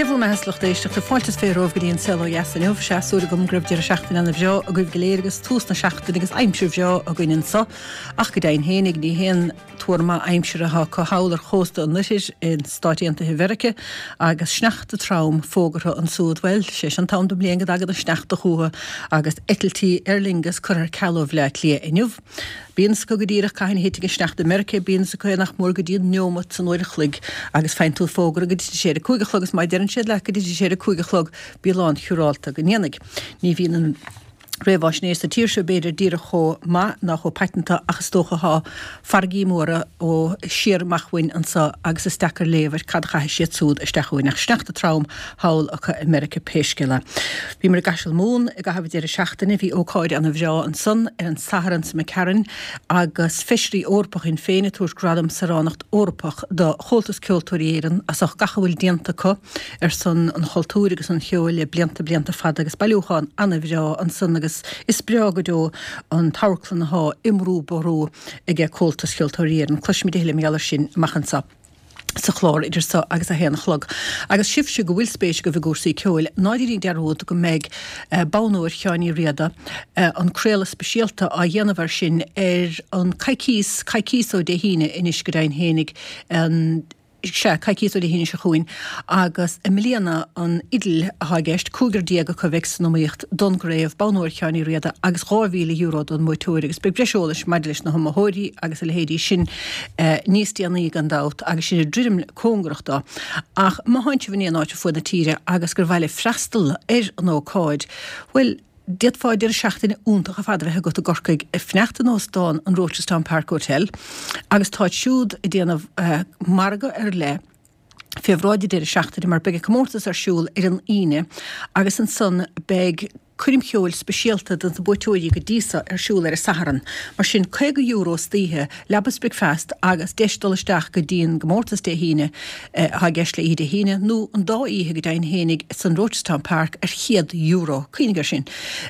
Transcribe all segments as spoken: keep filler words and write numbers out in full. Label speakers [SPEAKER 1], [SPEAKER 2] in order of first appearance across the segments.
[SPEAKER 1] Dia bhur mbeatha, a lucht éisteachta, fáilte is fiche romhaibh go dtí an Saol Ó Dheas inniu. Sea, súil agam go raibh deireadh seachtaine ana bhreá agaibh go léir agus tús na seachtaine agus aimsir bhreá againn anso. Ach go deimhin fhéinig ní haon tuar maith aimsire atá acu thall ar chósta an oirthir in Stáit Aontaithe Mheirice agus sneachta trom fógartha ansúd. Bhuel, sé seo an t-am den bhliain go dtagann an sneachta chucu agus eitiltí Aer Lingus curtha ar ceal ó Bhleá Cliath inniu. Bíonn 's acu go díreach cathain a thitfidh an sneachta i Meiriceá, bíonn 's acu é nach mór go dtí an neomat san uair a chloig agus faigheann tú fógra go dtitfidh sé ar a cúig a chlog agus má deireann siad leat go dtitfidh sé ar a cúig a chlog, bí lánsiúrálta go ndéanfaidh. Ní bhíonn an réamhaisnéis sa tír seo b'fhéidir díreach chomh maith ná chomh paiteanta ach is dócha thá farraigí móra ó siar amach uainn anso agus is deacair léamh ar cad a chaithfidh siad súd isteach uainn ach sneachta trom thall acu i Meiriceá pé scéal é. Bhíomar i gCaiseal Mumhan i gcaitheamh an deireadh seachtaine. Bhí ócáid ana bhreá ansan ar an Satharn sa McCarran agus Feisirí Eorpacha Shinn Féin ag tabhairt Gradam Saoránacht Eorpach do Chomhaltas Ceoltóirí Éireann as ucht gach a bhfuil déanta acu ar son an chultúir agus an cheoil le blianta blianta fada agus bailiúchán ana bhreá ansan agus is breá go deo an t-amharclann athá i mBrú Ború aige Comhaltas Ceoltóirí Éireann. Cloisfimid a thuilleadh mar gheall air sin amach anso sa chlár idir so agus a haon a chlog. Agus sibhse go bhfuil spéis agaibh i gcúrsaí ceoil, ná déanaigí dearúd go mbeidh Bonn Óir Sheáin Uí Riada, an craoladh speisialta á dhéanamh air sin ar an coicíos, coicíos ó Dé hAoine anois go deimhin fhéinig, an, sea, coicíos ó Dé hAoine seo chugainn, agus i mbliana an fhidil atá i gceist, cúigear déag acu a bheidh san iomaíocht don gcraobh, Bonn Óir Sheáin Uí Riada agus dhá mhíle euro don mbuaiteoir agus beidh breis eolais maidir leis na hiomaitheoirí agus a leithéidí sin níos déanaí gan dabht agus sinn ag druidim cóngarach dó. Ach má thánn sibh in aon áit ar fuaid na tíre agus gur mhaith libh freastal ar an ócáid, bhuel, d'fhéadfá deireadh seachtaine iontach ar fad a bheith agat i gCorcaigh, ag fanacht in óstán an Rochestown Park Hotel agus táid siúd ag déanamh margadh ar leith fé bhráid an deireadh seachtaine mar beidh an comórtas ar siúl ar an Aoine agus ansan beidh coirm cheoil speisialta do na buaiteoirí go dtí so ar siúl ar an Satharn. Mar sin, caoga euro istoíche, leaba is bricfeasta agus deis dul isteach go dtí an gcomórtas Dé hAoine atá i gceist le oíche Dé hAoine, nó an dá oíche go deimhin fhéinig san Rochestown Park ar chéad euro. Cuimhnigh air sin.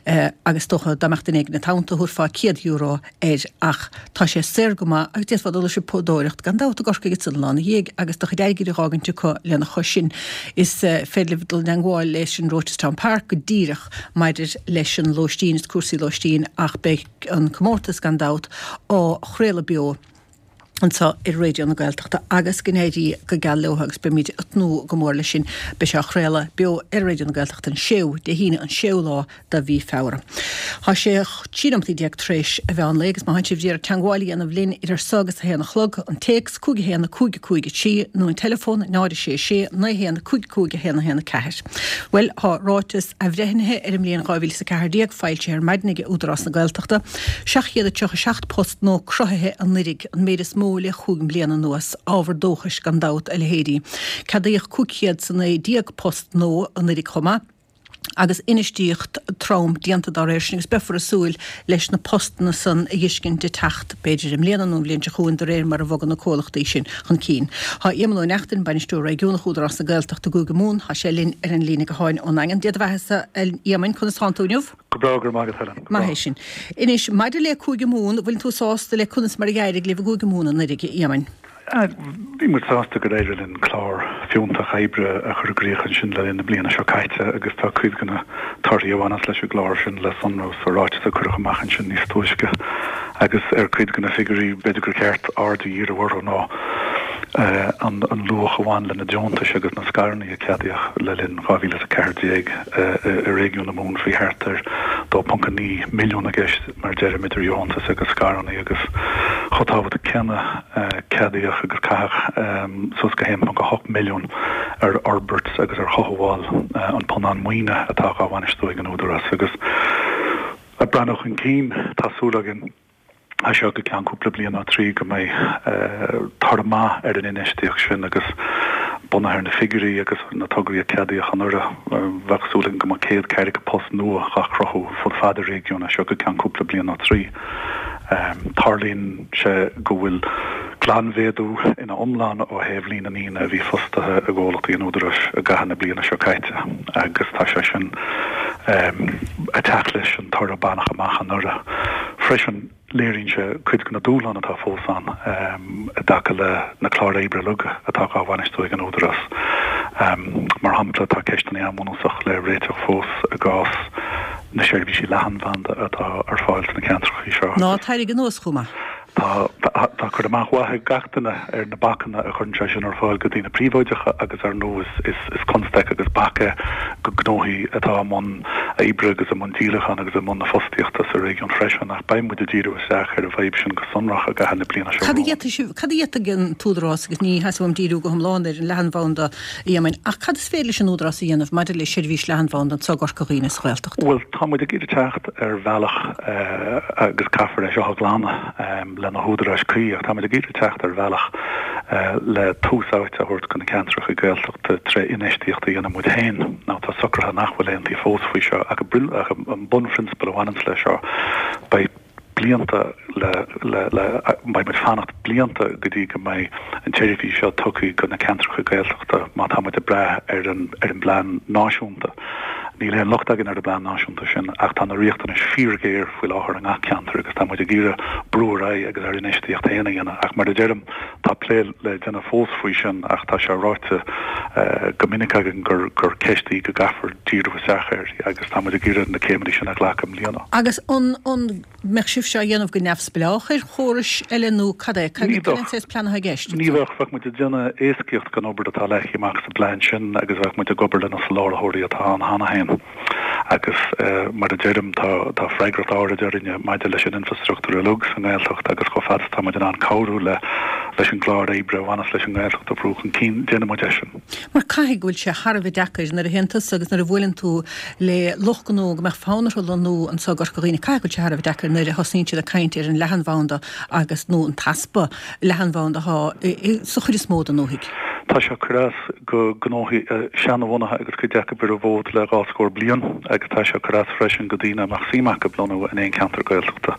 [SPEAKER 1] Agus is dócha dá mbeadh duine éigin id theannta thabharfá céad euro air ach tá sé saor go maith agus d'fhéadfá dul ag siopadóireacht gan dabht i gCorcaigh ansan an lá ina dhiaidh agus do chuid airgid a dh'fhágaint acu lena chois sin. Is féidir libh dul i dteangmháil leis an Rochestown Park go díreach maidir leis an lóistín is cúrsaí lóistín ach beidh an comórtas gan dabht á chraoladh beo anseo ar Raidió na Gaeltachta agus go n-éirí go geal leo agus beimid ag tnúth go mór leis sin. Beidh sé á chraoladh beo ar Raidió na Gaeltachta an séú, Dé hAoine an séú lá de mhí Feabhra. Tá sé trí nóimeataí déag tar éis an mheán lae agus má thánn sibh d'iarraidh teangmháil a dhéanamh linn idir so agus a haon a chlog, an téacs, cúig a haon, cúig a cúig a trí, nó an teileafón, náid a sé sé, naoi a haon, cúig cúig a haon a haon a ceathair. Bhuel, tá ráiteas athbhreithnithe ar an mbliain dhá mhíle is a ceathair déag foilsithe ar maidin ag Údarás na Gaeltachta. Seacht gcéad a tríocha seacht post nua cruthaithe anuiridh, an méid is mó le chúig mbliana anuas. Ábhar dóchais gan dabht a leithéidí. Ceadaíodh cúig chéad is a naoi déag post nua anuiridh chomh maith. agus infheistíocht trom déanta dá réir sin agus beifear ag súil leis na postanna san a dh'fheiscint ag teacht, b'fhéidir i mbliana nó an bhliain seo chugainn, de réir mar a bhogann na comhlachtaí sin chun cinn. Tá Éamonn Ó Neachtain, Bainisteoir Réigiúnach Údarás na Gaeltachta i gCúige Mumhan, tá sé linn ar an líne gutháin ón nDaingean. Dia do bheathasa, a Éamoinn, conas tánn tú inniu?
[SPEAKER 2] Go breá, go raibh maith agat, Helen. Go
[SPEAKER 1] Maith
[SPEAKER 2] breá.
[SPEAKER 1] é sin. Anois, maidir le Cúige Mumhan, bhfuil tú sásta le conas mar a d'éirigh libh i gCúige Mumhan anuiridh, a Éamoinn?
[SPEAKER 2] Bhí muid sásta gur éirigh linn clár fiúntach oibre a chur i gcrích ansin le linn na bliana seo caite agus tá cuid de na torthaí a bhaineas leis an gclár sin le sonrú sa ráiteas a cuireadh amach ansin níos túisce agus ar cuid de na figiúirí b'fhéidir gur cheart aird a dhíriú orthu ná an luach a bhain le na deontais agus na scaireanna a ceadaíodh le linn dhá mhíle is a ceathair déag i réigiún na Mumhan. Bhí thart ar dó ponc a naoi milliún i gceist mar deirim idir dheontais agus scaireanna agus chomh tábhachtach céanna ceadaíodh agus caitheadh suas go haon ponc a hocht milliún ar fhorbairt agus ar chothabháil an phunann maoine atá dhá bhainistiú ag an Údarás agus ag breathnú chun cinn tá súil againn as seo go ceann cúpla bliain nó trí go mbeidh toradh maith ar an infheistíocht sin agus bunaithe ar na figiúirí agus na tograí a ceadaíodh anuraidh, bheadh súil againn go mbeadh céad ceathracha post nua dhá chruthú fud fad an réigiúin as seo go ceann cúpla bliain nó trí. Tarlaíonn sé go bhfuil glanmhéadú ina iomlán ó thaobh líon na ndaoine a bhí fostaithe i gcomhlachtaí an Údaráis i gcaitheamh na bliana seo caite agus tá sé sin ag teacht leis an toradh a baineadh amach anuraidh. Freisin, léiríonn sé cuid de na dúshláin atá fós ann i dtaca le na cláir oibre uilig atá dhá bhainistiú ag an Údarás. Mar shampla, tá ceisteanna an-bhunúsach le réiteach fós i gcás na seirbhísí leathanbhanda atá ar fáil sna ceantracha seo.
[SPEAKER 1] Ná t-airgead anuas chomh maith.
[SPEAKER 2] Tá tá cur amach mhaith ag gach duine ar na bacanna a chuireann sé sin ar fáil go daoine príobháideacha agus ar ndóigh is is constaic agus bac é go gnóthaí atá i mbun oibre agus i mbun díolacháin agus i mbun na fostaíochta sa réigiún freisin ach beidh muid ag díriú isteach ar an bhfadhb sin go sonrach i gcaitheamh na bliana seo
[SPEAKER 1] Cad a
[SPEAKER 2] romhainn.
[SPEAKER 1] d'fhéadfadh sibh, cad a d'fhéadfadh an tÚdarás, agus ní theastaíonn uaim díriú go hiomlán ar an leathanbhanda a Éamoinn, ach cad is féidir leis an Údarás a dhéanamh maidir le seirbhís leathanbhanda anseo i gCorca Dhuibhne sa Ghaeltacht?
[SPEAKER 2] Bhuel, tá muid ag iarraidh teacht ar bhealach agus caithfear é seo a ghlanadh le na húdaráis cuí ach tá muid ag iarraidh teacht ar bhealach le tús áite a thabhairt do na ceantracha Gaeltachta tré infheistíocht a dhéanamh muid féin. Now tá socruithe nach bhfuil aontaithe fós faoi seo ach an bunphrionsabal a bhaineanns leis seo, beidh blianta le le le beidh muid fanacht blianta go dtí go mbeidh an tseirbhís seo tugtha go na ceantracha Gaeltachta má tá muid ag brath ar an ar an bplean náisiúnta. Níl aon locht againn ar an bplean náisiúnta sin ach tá na riachtanais fíorghéar faoi láthair i ngach ceantar agus tá muid ag iarraidh brú ar aghaidh agus ár infheistíocht féin a dhéanamh ach mar a deirim tá plé le déanamh fós faoi sin ach tá sé ráite go minic againn gur gur ceist í go gcaithfear díriú isteach air agus tá muid ag iarraidh na céimeanna sin a ghlacadh i mbliana.
[SPEAKER 1] Agus an an mbeadh sibhse á dhéanamh go neamhspleách ar chórais eile nó cad é? Cad
[SPEAKER 2] Ní
[SPEAKER 1] cad
[SPEAKER 2] bheadh.
[SPEAKER 1] é an plean atá i gceist?
[SPEAKER 2] Ní bheadh. Bheadh muid ag déanamh éascaíocht don obair atá leagtha amach sa bplean sin agus bheadh muid ag obair le na soláthróirí atá ann cheana féin. Agus mar a deirim, tá tá freagracht áirid orainne maidir leis an infreastruchtúr uilig sa nGaeltacht agus chomh fada is atá muid in ann cabhrú le leis an gclár oibre a bhaineas leis an nGaeltacht a bhrú chun cinn, déanfaidh muid é sin.
[SPEAKER 1] Mar caithfidh go bhfuil sé thar a bheith deacair nuair a théann tusa agus nuair a bhuaileann tú le lucht gnó go mbeadh fonn orthu lonnú anseo i gCorca Dhuibhne, caithfidh go bhfuil sé thar a bheith deacair nuair a thosnaíonn siad ag caint ar an leathanbhanda agus nó an t-easpa leathanbhanda atá sa chuid is mó den ndúthaigh.
[SPEAKER 2] Tá sé ag cur as go gnóthaí seanbhunaithe agus cuid acu ar an bhfód le dhá scór bliain agus tá sé ag cur as freisin go daoine a mbeadh suim acu lonnú in aon cheantar Gaeltachta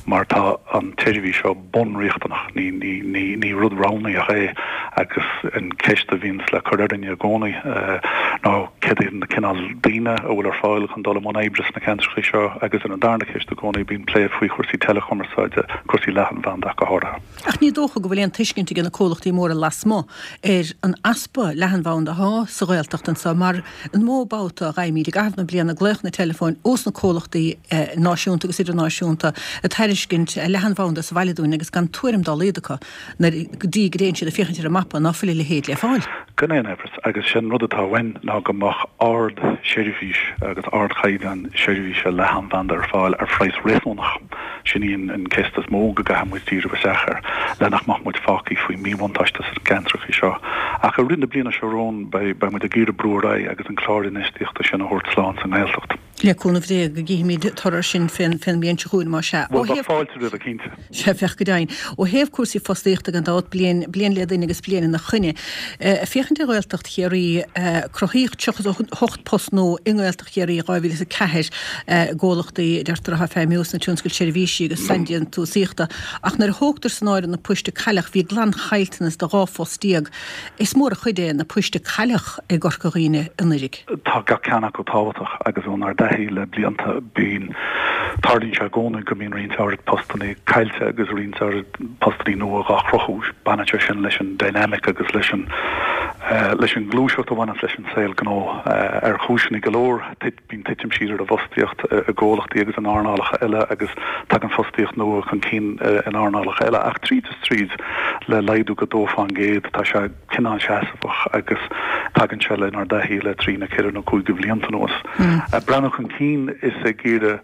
[SPEAKER 2] mar tá an tseirbhís seo bunriachtanach, ní, ní, ní, ní rud roghnaíoch é agus an ceist a bhíonns le cur orainne i gcónaí ná céard iad na cineál daoine a bhfuil ar fáil chun dul i mbun oibre sna ceantracha seo agus ar an darna ceist i gcónaí bíonn plé faoi chúrsaí teileachumarsáide, cúrsaí leathanbhanda ach go háirithe.
[SPEAKER 1] Ach ní dócha go bhfuil aon tuiscint ag na comhlachtaí móra lasmuigh ar an easpa leathanbhanda atá sa Ghaeltacht anseo mar an mó babhta a fhaighimid i gcaitheamh na bliana glaochanna teileafóin ós na comhlachtaí náisiúnta agus idirnáisiúnta ag tairiscint leathanbhanda sa bhaile dúinn agus gan tuairim dá laghad acu nuair go dtí go dtéann siad ag féachaint ar an mapa ná fuil a leithéid le fáil.
[SPEAKER 2] Gan aon amhras, agus sin rud atá uainn ná go mbeadh ard-sheirbhís agus ardchaighdeán seirbhíse leathanbhanda ar fáil ar phraghas réasúnach. Sin í an ceist is mó go gcaithfidh muid díriú isteach air, le nach mbeadh muid fágtha faoi mhíbhuntáiste sna ceantracha seo. Ach i rith na bliana seo romhainn beidh muid ag iarraidh brú ar aghaidh agus an clár infheistíochta sin a thabhairt slán sa nGaeltacht.
[SPEAKER 1] Le cúnamh Dé go gcífimid toradh sin fén mbliain seo chugainn, más ea.
[SPEAKER 2] Bhuel, bheadh fáilte roimhe, cinnte.
[SPEAKER 1] Sea, bheadh go deimhin. Ó thaobh cúrsaí fostaíochta gan dabht, bliain, bliain le duine agus bliain ina choinne. Ag féachaint ar Ghaeltacht Chiarraí, cruthaíodh tríocha a hocht post nua i nGaeltacht Chiarraí i dhá mhíle is a ceathair i gcomhlachtaí a deirtear atá ag feidhmiú sna tionscail seirbhísí agus saindéantúsaíochta. Ach nuair a thógtar san áireamh na poist a cailleadh, bhí glanchaillteanas de dhá phost déag. Is mór an chuid é na poist a cailleadh i gCorca Dhuibhne anuraidh.
[SPEAKER 2] Tá gach ceann acu tábhachtach agus ónár dtaithí le blianta bíonn, tarlaíonn sé i gcónaí go mbíonn roinnt áirid postanna caillte agus roinnt áirid postanna nua dhá chruthú. Baineann sé sin leis an dynamic agus leis an leis an ngluaiseacht a bhaineanns leis an saol gnó. Ar chúiseanna go leor, bíonn titim siar ar an bhfostaíocht i gcomhlachtaí agus in earnálacha eile agus tagann fostaíocht nua chun cinn in earnálacha eile. Ach tríd is tríd, le laghdú go dó fán gcéad, tá sé cineál seasmhach agus tagann sé lenár dtaithí le trí nó ceithre nó cúig de bhlianta anuas. Breathnú chun cinn is ag iarraidh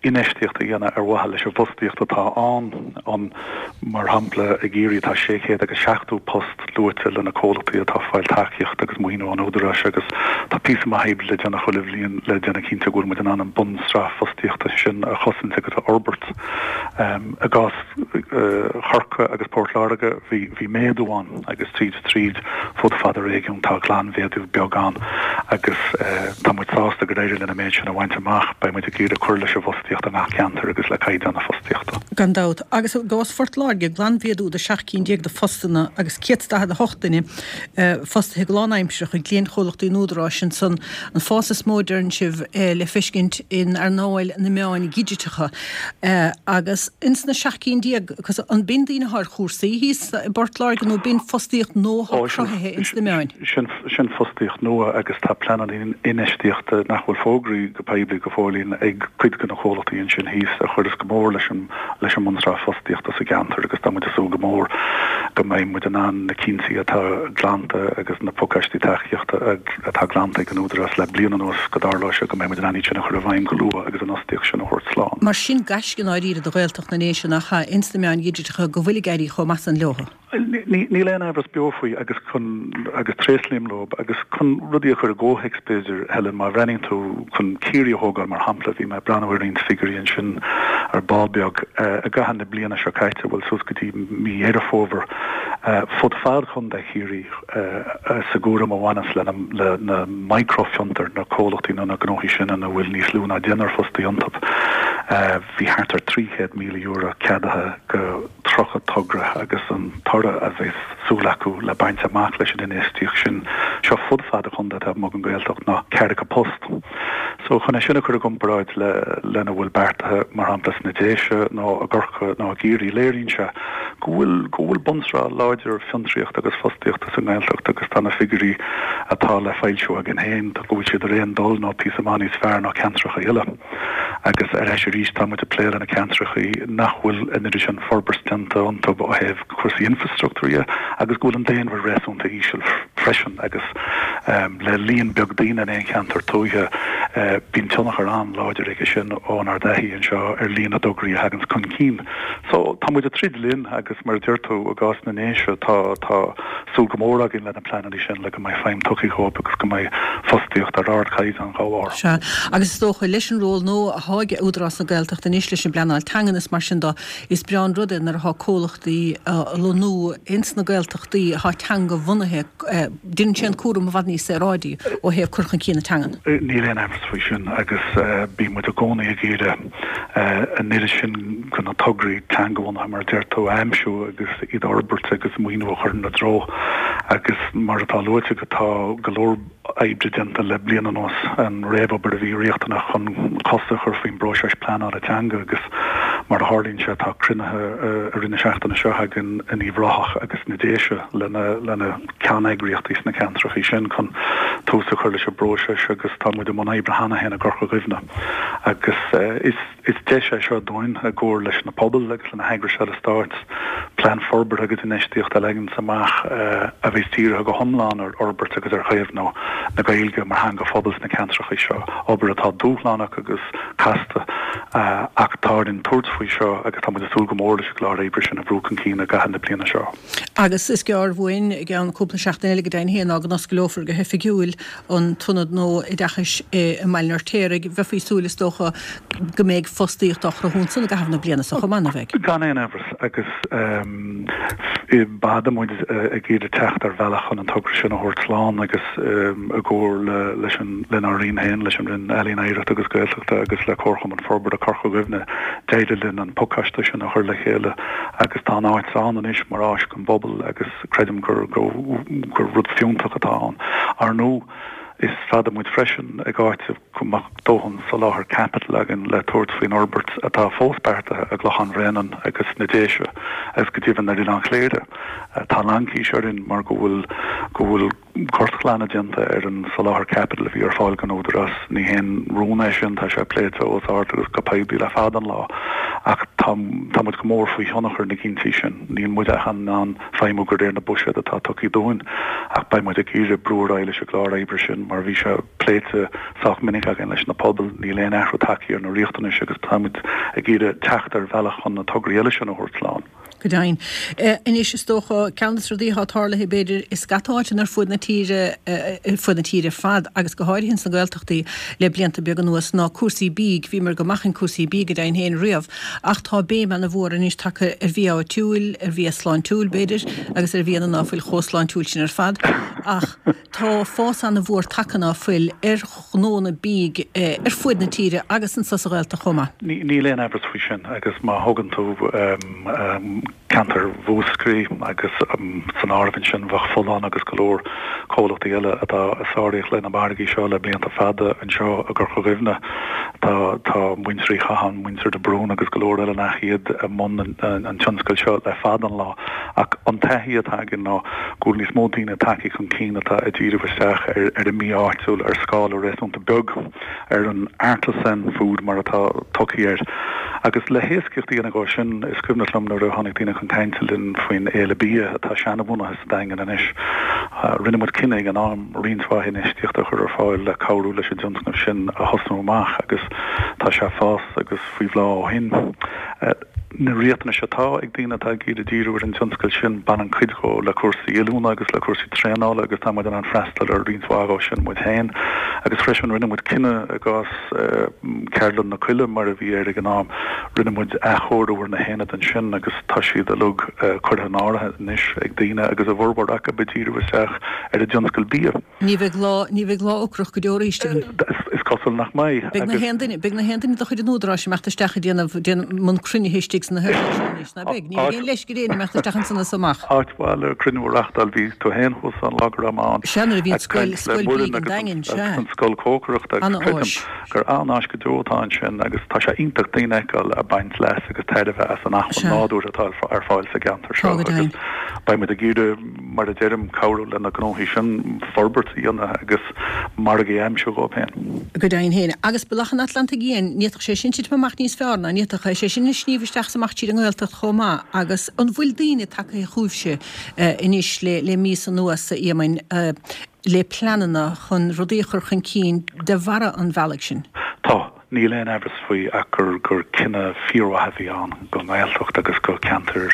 [SPEAKER 2] infheistíocht a dhéanamh ar mhaithe leis an bhfostaíocht atá ann, an, mar shampla, i gCiarraí tá sé chéad agus seachtó post luaite le na comhlachtaí atá ag fáil tacaíocht agus maoiniú ón Údarás agus tá píosa maith oibre le déanamh chuile bhliain le déanamh cinnte go bhfuil muid in ann an bunsraith fostaíochta sin a chosaint agus a fhorbairt. I gcás Chorcaí agus Port Láirge bhí bhí méadú ann agus tríd is tríd fud fad an réigiúin tá glanmhéadú beag ann agus tá muid sásta gur éirigh linn an méid sin a bhaint amach. Beidh muid ag iarraidh cur leis an bhfostaíocht. fostaíocht i ngach ceantar agus le caighdeán na fostaíochta.
[SPEAKER 1] Gan dabht. Agus i gcás Phort Láirge, glanmhéadú de seacht cinn déag de phostanna agus céad is daichead a hocht duine fostaithe go lánaimsearach ag cliantchomhlachtaí an Údaráis ansan. An fás is mó, deireann sibh, le feiscint in earnáil na meáin dhigiteacha. Agus ins na seacht cinn déag, an b'in daoine atá ar chúrsaí thíos i bPort Láirge nó b'in fostaíocht nua atá cruthaithe ins na meáin?
[SPEAKER 2] Sin fostaíocht nua agus tá pleananna infheistíochta nach bhfuil fógraithe go poiblí go fóillín ag cuid de na comhlachtaí ansin thíos a chuireas go mór leis an leis an mbunsraith fostaíochta sa gceantar agus tá muid ag súil go mór go mbeidh muid in ann na cinntí atá glanta agus na pacáistí tacaíochta atá glanta ag an Údarás le bliain anuas go dtarlóidh sé go mbeidh muid in ann iad sin a chur i bhfeidhm go luath agus an fhostaíocht sin a thabhairt slán.
[SPEAKER 1] Mar sin gaisce i ndáiríre do Ghaeltacht na nDéise nach ea ins na meáin dhigiteacha go bhfuil ag éirí chomh maith san leo.
[SPEAKER 2] Níl aon amhras beo faoi agus chun agus tréaslaím leo agus chun rudaí a chur i gcomhthéacs b'fhéidir, Helen, má bhreathnaíonn tú chun Ciarraí a thógáil mar shampla, bhí mé ag breathnú ar roinnt figiúirí ansin ar ball beag i gcaitheamh na bliana seo caite, bhuel suas go dtí mí Dheireadh Fómhair, fud fad Chontae Chiarraí sa gcúram a bhaineas le na microfhiontair, na comhlachtaí nó na gnóthaí sin ina bhfuil níos lú ná deichniúr fostaí iontu, bhí thart ar trí chéad míle euro ceadaithe go tríocha togra agus an toradh a bheas súil acu le baint amach leis an infheistíocht sin seo fud fad an chontae taobh amuigh den Ghaeltacht ná ceathracha post. So chun é sin a chur i gcomparáid le lena bhfuil beartaithe mar shampla sna Déise nó i gCorcaigh nó i gCiarraí léiríonn sé go bhfuil go bhfuil bunsraith láidir fiontraíochta agus fostaíochta sa nGaeltacht agus tá na figiúirí atá le foilsiú againn féin go bhfuil siad ar aon dul nó píosa maith níos fearr ná ceantracha eile. Agus ar ais arís tá muid ag plé le na ceantracha nach bhfuil an oiread sin forbairt déanta iontu ó thaobh cúrsaí infreastruchtúir dhe agus go bhfuil an daonra réasúnta íseal freisin agus le líon beag daoine in aon cheantar tuaithe bíonn tionchar an-láidir aige sin ónár dtaithí anseo ar líon na dtograí a thaganns chun cinn. So tá muid ag troid linn agus mar a deir tú i gcás na nDéise tá tá súil go mór againn le na pleananna sin le go mbeidh feidhm tugtha dhóibh agus go mbeidh fostaíocht ar ardchaighdeán dá bharr.
[SPEAKER 1] Sea, agus is dócha leis an ról nua atá ag Údarás na Gaeltachta anois leis an bpleanáil teangan is mar sin de, is breá an rud é nuair atá comhlachtaí á lonnú ins na Gaeltachtaí atá teanga-bhunaithe, déanann sé an cúram i bhfad níos saoráidí ó thaobh cur chun cinn na teangan.
[SPEAKER 2] Níl aon amhras faoi sin agus bíonn muid i gcónaí ag iarraidh an oiread sin de na tograí teanga-bhunaithe mar a deir tú a aimsiú agus iad a fhorbairt agus maoiniú a chur ina dtreo agus mar atá luaite agat tá go leor oibre déanta le bliain anuas, an réamhobair a bhí riachtanach chun cosa a chur faoin bpróiseas pleanála teanga agus mar a tharlaíonn sé tá cruinnithe i rith na seachtaine seo againn in Uíbh Ráthach agus sna Déise le na ceanneagraíochtaí sna ceantracha sin chun tús a chur leis an bpróiseas agus tá muid i mbun oibre cheana féin i gCorca Dhuibhne agus is Is deis é seo dúinn, i gcomhar leis na pobail agus le na heagrais uile-stáit, plean forbartha agus infheistíochta a leagan amach a bheas dírithe go hiomlán ar fhorbairt agus ar chaomhnú na Gaeilge mar theanga phobail sna ceantracha seo, obair atá dúshlánach agus casta ach tá orainn tabhairt faoi seo agus tá muid ag súil go mór leis an gclár oibre sin a bhrú chun cinn i gcaitheamh na bliana seo.
[SPEAKER 1] Agus is gearr uainn, i gceann cúpla seachtain eile go deimhin féin, ná go n-osclófar go hoifigiúil an t-ionad nua oideachais i mBaile an Fheirtéaraigh. Bheifí ag súil, is dócha, go mbeidh fostaíocht á chruthú ansan i gcaitheamh na bliana seo chomh maith, ná beidh?
[SPEAKER 2] Gan aon amhras, agus b'fhada muid ag iarraidh teacht ar bhealach chun an togra sin a thabhairt slán agus i gcomhar leis an, lenár Roinn féin, leis an Roinn Ealaíon, Oidhreachta agus Gaeltachta agus le Comharchumann Forbartha Corca Dhuibhne, d'éirigh linn an pacáiste sin a chur le chéile agus tá an áit ann anois mar áis don bpobal agus creidim gur gur rud fiúntach atá ann. Ar ndóigh, is fada muid freisin ag áiteamh go mbeadh dóthain soláthar caipitil againn le tabhairt faoin fhorbairt atá fós beartaithe i gClochán Bhréanainn agus sna Déise agus go deimhin ar Oileán Chléire. Tá laincis orainn mar go bhfuil go bhfuil gortghlanadh déanta ar an soláthar caipitil a bhí ar fáil don Údarás. Ní haon rún é sin, tá sé pléite os ard agus go poiblí le fada an lá ach tá tá muid go mór faoi thionchar na gcinntí sin. Níl muid ach in ann feidhmiú de réir na buiséad atá tugtha dúinn ach beidh muid ag iarraidh brú ar aghaidh leis an gclár oibre sin mar bhí sé pléite sách minic againn leis na pobail. Níl aon athrú tagtha ar na riachtanais agus táimid ag iarraidh teacht ar bhealach chun na tograí eile sin a thabhairt slán.
[SPEAKER 1] Go deimhin. Anois, is dócha, ceann de na rudaí atá tarlaithe, b'fhéidir, i scata áiteanna ar fud na tíre, ar fud na tíre ar fad agus go háirithe ins na Gaeltachtaí le blianta beaga anuas, ná cúrsaí bídh. Bhíomar go maith in cúrsaí bídh, go deimhin féin, riamh, ach tá béim ana-mhór anois tagtha ar bhia áitiúil, ar bhia sláintiúil, b'fhéidir, agus ar bhianna ná fuil chomh sláintiúil sin ar fad. Ach tá fás ana-mhór tagtha ná fuil ar ghnónna bídh ar fuaid na tíre agus anso sa Ghaeltacht chomh maith.
[SPEAKER 2] Níl aon amhras faoi sin agus má thógann tú ceantar Mhúscraí agus san áireamh ansin bheadh Folláin agus go leor comhlachtaí eile atá ag sáraíocht le na margaí seo le blianta fada anseo i gCorca Dhuibhne. Tá tá muintir Uí Chatháin, muintir de Brún agus go leor eile nach iad i mbun an tionscail seo le fada an lá ach an taithí atá againn ná go bhfuil níos mó daoine tagtha chun cinn atá ag díriú isteach ar ar an mbia áitiúil ar scála réasúnta beag. ar an artisan food mar atá tugtha air. Agus le héascaíocht a dhéanamh dhó sin, is cuimhneach liom nuair a tháinig daoine chun cainte linn faoin Fhéile Bia atá seanabhunaithe sa Daingean anois, rinne muid cinneadh ag an am roinnt mhaith infheistíochta a chur ar fáil le cabhrú leis an dtionscnamh sin a thosnú amach agus tá sé ag fás agus faoi bhláth ó shin. Na riachtanais atá ag daoine atá ag iarraidh díriú ar an tionscal sin, baineann cuid dhó le cúrsaí oiliúna agus le cúrsaí traenála agus tá muid in ann freastal ar roinnt mhaith dhó sin muid féin. Agus freisin rinne muid cinneadh i gcás Ceardlann na Coille mar a bhí air ag an am, rinne muid athchóiriú ar na haonaid ansin agus tá siad uilig curtha in áirithe anois ag daoine agus a bhformhór acu ag díriú isteach ar an dtionscal bia.
[SPEAKER 1] Ní bheidh lá, ní bheidh lá ocrach go deo arís againn.
[SPEAKER 2] Is cosúil nach mbeidh.
[SPEAKER 1] Beidh na haon duine, beidh na haon duine de chuid an Údaráis ag imeacht isteach ag déanamh, déanamh mbun cruinnithe istigh sna haonaid seo anois, ná beidh? Ní bheidh aon leisce ar éinne imeacht isteach ansan is amach.
[SPEAKER 2] Áit mhaith le cruinniú a reachtáil, bhí tú féin thuas ann lá go raibh mé ann.
[SPEAKER 1] Sea, nuair a bhí an
[SPEAKER 2] Ag caint
[SPEAKER 1] scoil,
[SPEAKER 2] le
[SPEAKER 1] scoil
[SPEAKER 2] Muireann
[SPEAKER 1] bídh an
[SPEAKER 2] agus
[SPEAKER 1] Daingin,
[SPEAKER 2] an,
[SPEAKER 1] sea.
[SPEAKER 2] agus an scoil cócaireachta agus creidim
[SPEAKER 1] An-áis.
[SPEAKER 2] gur an-áis go deo atá ansin agus tá sé iontach daoine a fheiceáil ag baint leas agus tairbhe as an acmhainn
[SPEAKER 1] Sea.
[SPEAKER 2] nádúrtha atá ar fáil sa gceantar
[SPEAKER 1] Tá
[SPEAKER 2] seo
[SPEAKER 1] go
[SPEAKER 2] agus
[SPEAKER 1] deimhin.
[SPEAKER 2] beidh muid ag iarraidh, mar a deirim, cabhrú le na gnóthaí sin forbairt a dhéanamh agus margaí a aimsiú dhóibh féin.
[SPEAKER 1] Go deimhin féin. Agus Bealach an Atlantaigh Fhiáin, ní fhéadfadh sé sin titim amach níos fearr ná ní fhéadfadh sé sin ag sníomh isteach is amach tríd an nGaeltacht chomh maith. Agus an bhfuil daoine tagtha chugaibhse anois le le míosa anuas, a Éamoinn, le pleananna chun rudaí a chur chun cinn de bharra an bhealaigh sin?
[SPEAKER 2] Tá. Níl aon amhras faoi ach gur gur cinneadh fíormhaith a bhí ann don nGaeltacht agus do cheantair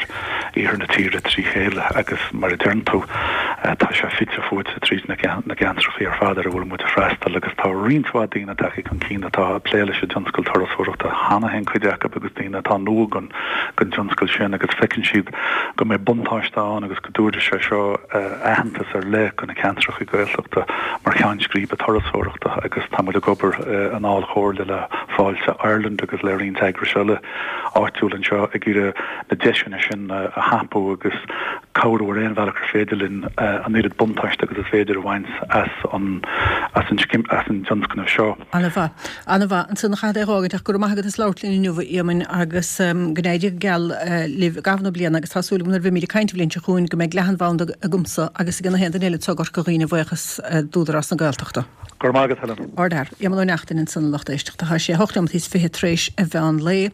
[SPEAKER 2] iarthar na tíre trí chéile agus mar a deireann tú tá sé fite fuaite tríd na ceantracha ar fad ar a bhfuil muid ag freastal agus tá roinnt mhaith daoine tagtha chun cinn atá ag plé leis an dtionscal turasóireachta cheana féin cuid acu agus daoine atá nua don dtionscal sin agus feiceann siad go mbeidh buntáiste ann agus go dtabharfaidh sé seo aitheantas ar leith do na ceantracha Gaeltachta mar cheann scríbe turasóireachta agus tá muid ag obair i ndáil chomhairle le Fáilte Ireland agus le roinnt eagrais eile áitiúil anseo ag iarraidh na deiseanna sin a thapú agus cabhrú ar aon bhealach ar féidir linn an oiread buntáiste agus is féidir a bhaint as an as an as an dtionscnamh seo.
[SPEAKER 1] An-mhaith. An-mhaith. Ansan a chaithfead é a dh'fhágaint ach go raibh maith agat as labhairt linn inniu, a Éamoinn, agus go n-éirí go geal libh i gcaitheamh na bliana agus tá súil agam nuair a bheimid ag caint an bhliain seo chugainn go mbeidh leathanbhanda agamsa agus ag na haon duine eile anseo i gCorca Dhuibhne a bhuíochas d'Údarás na Gaeltachta.
[SPEAKER 2] Go raibh maith agat, Helen.
[SPEAKER 1] Ardfhear. Éamonn Ó Neachtain ansan a lucht éisteachta. Tá sé a hocht nóiméad is fiche tar éis an mheán lae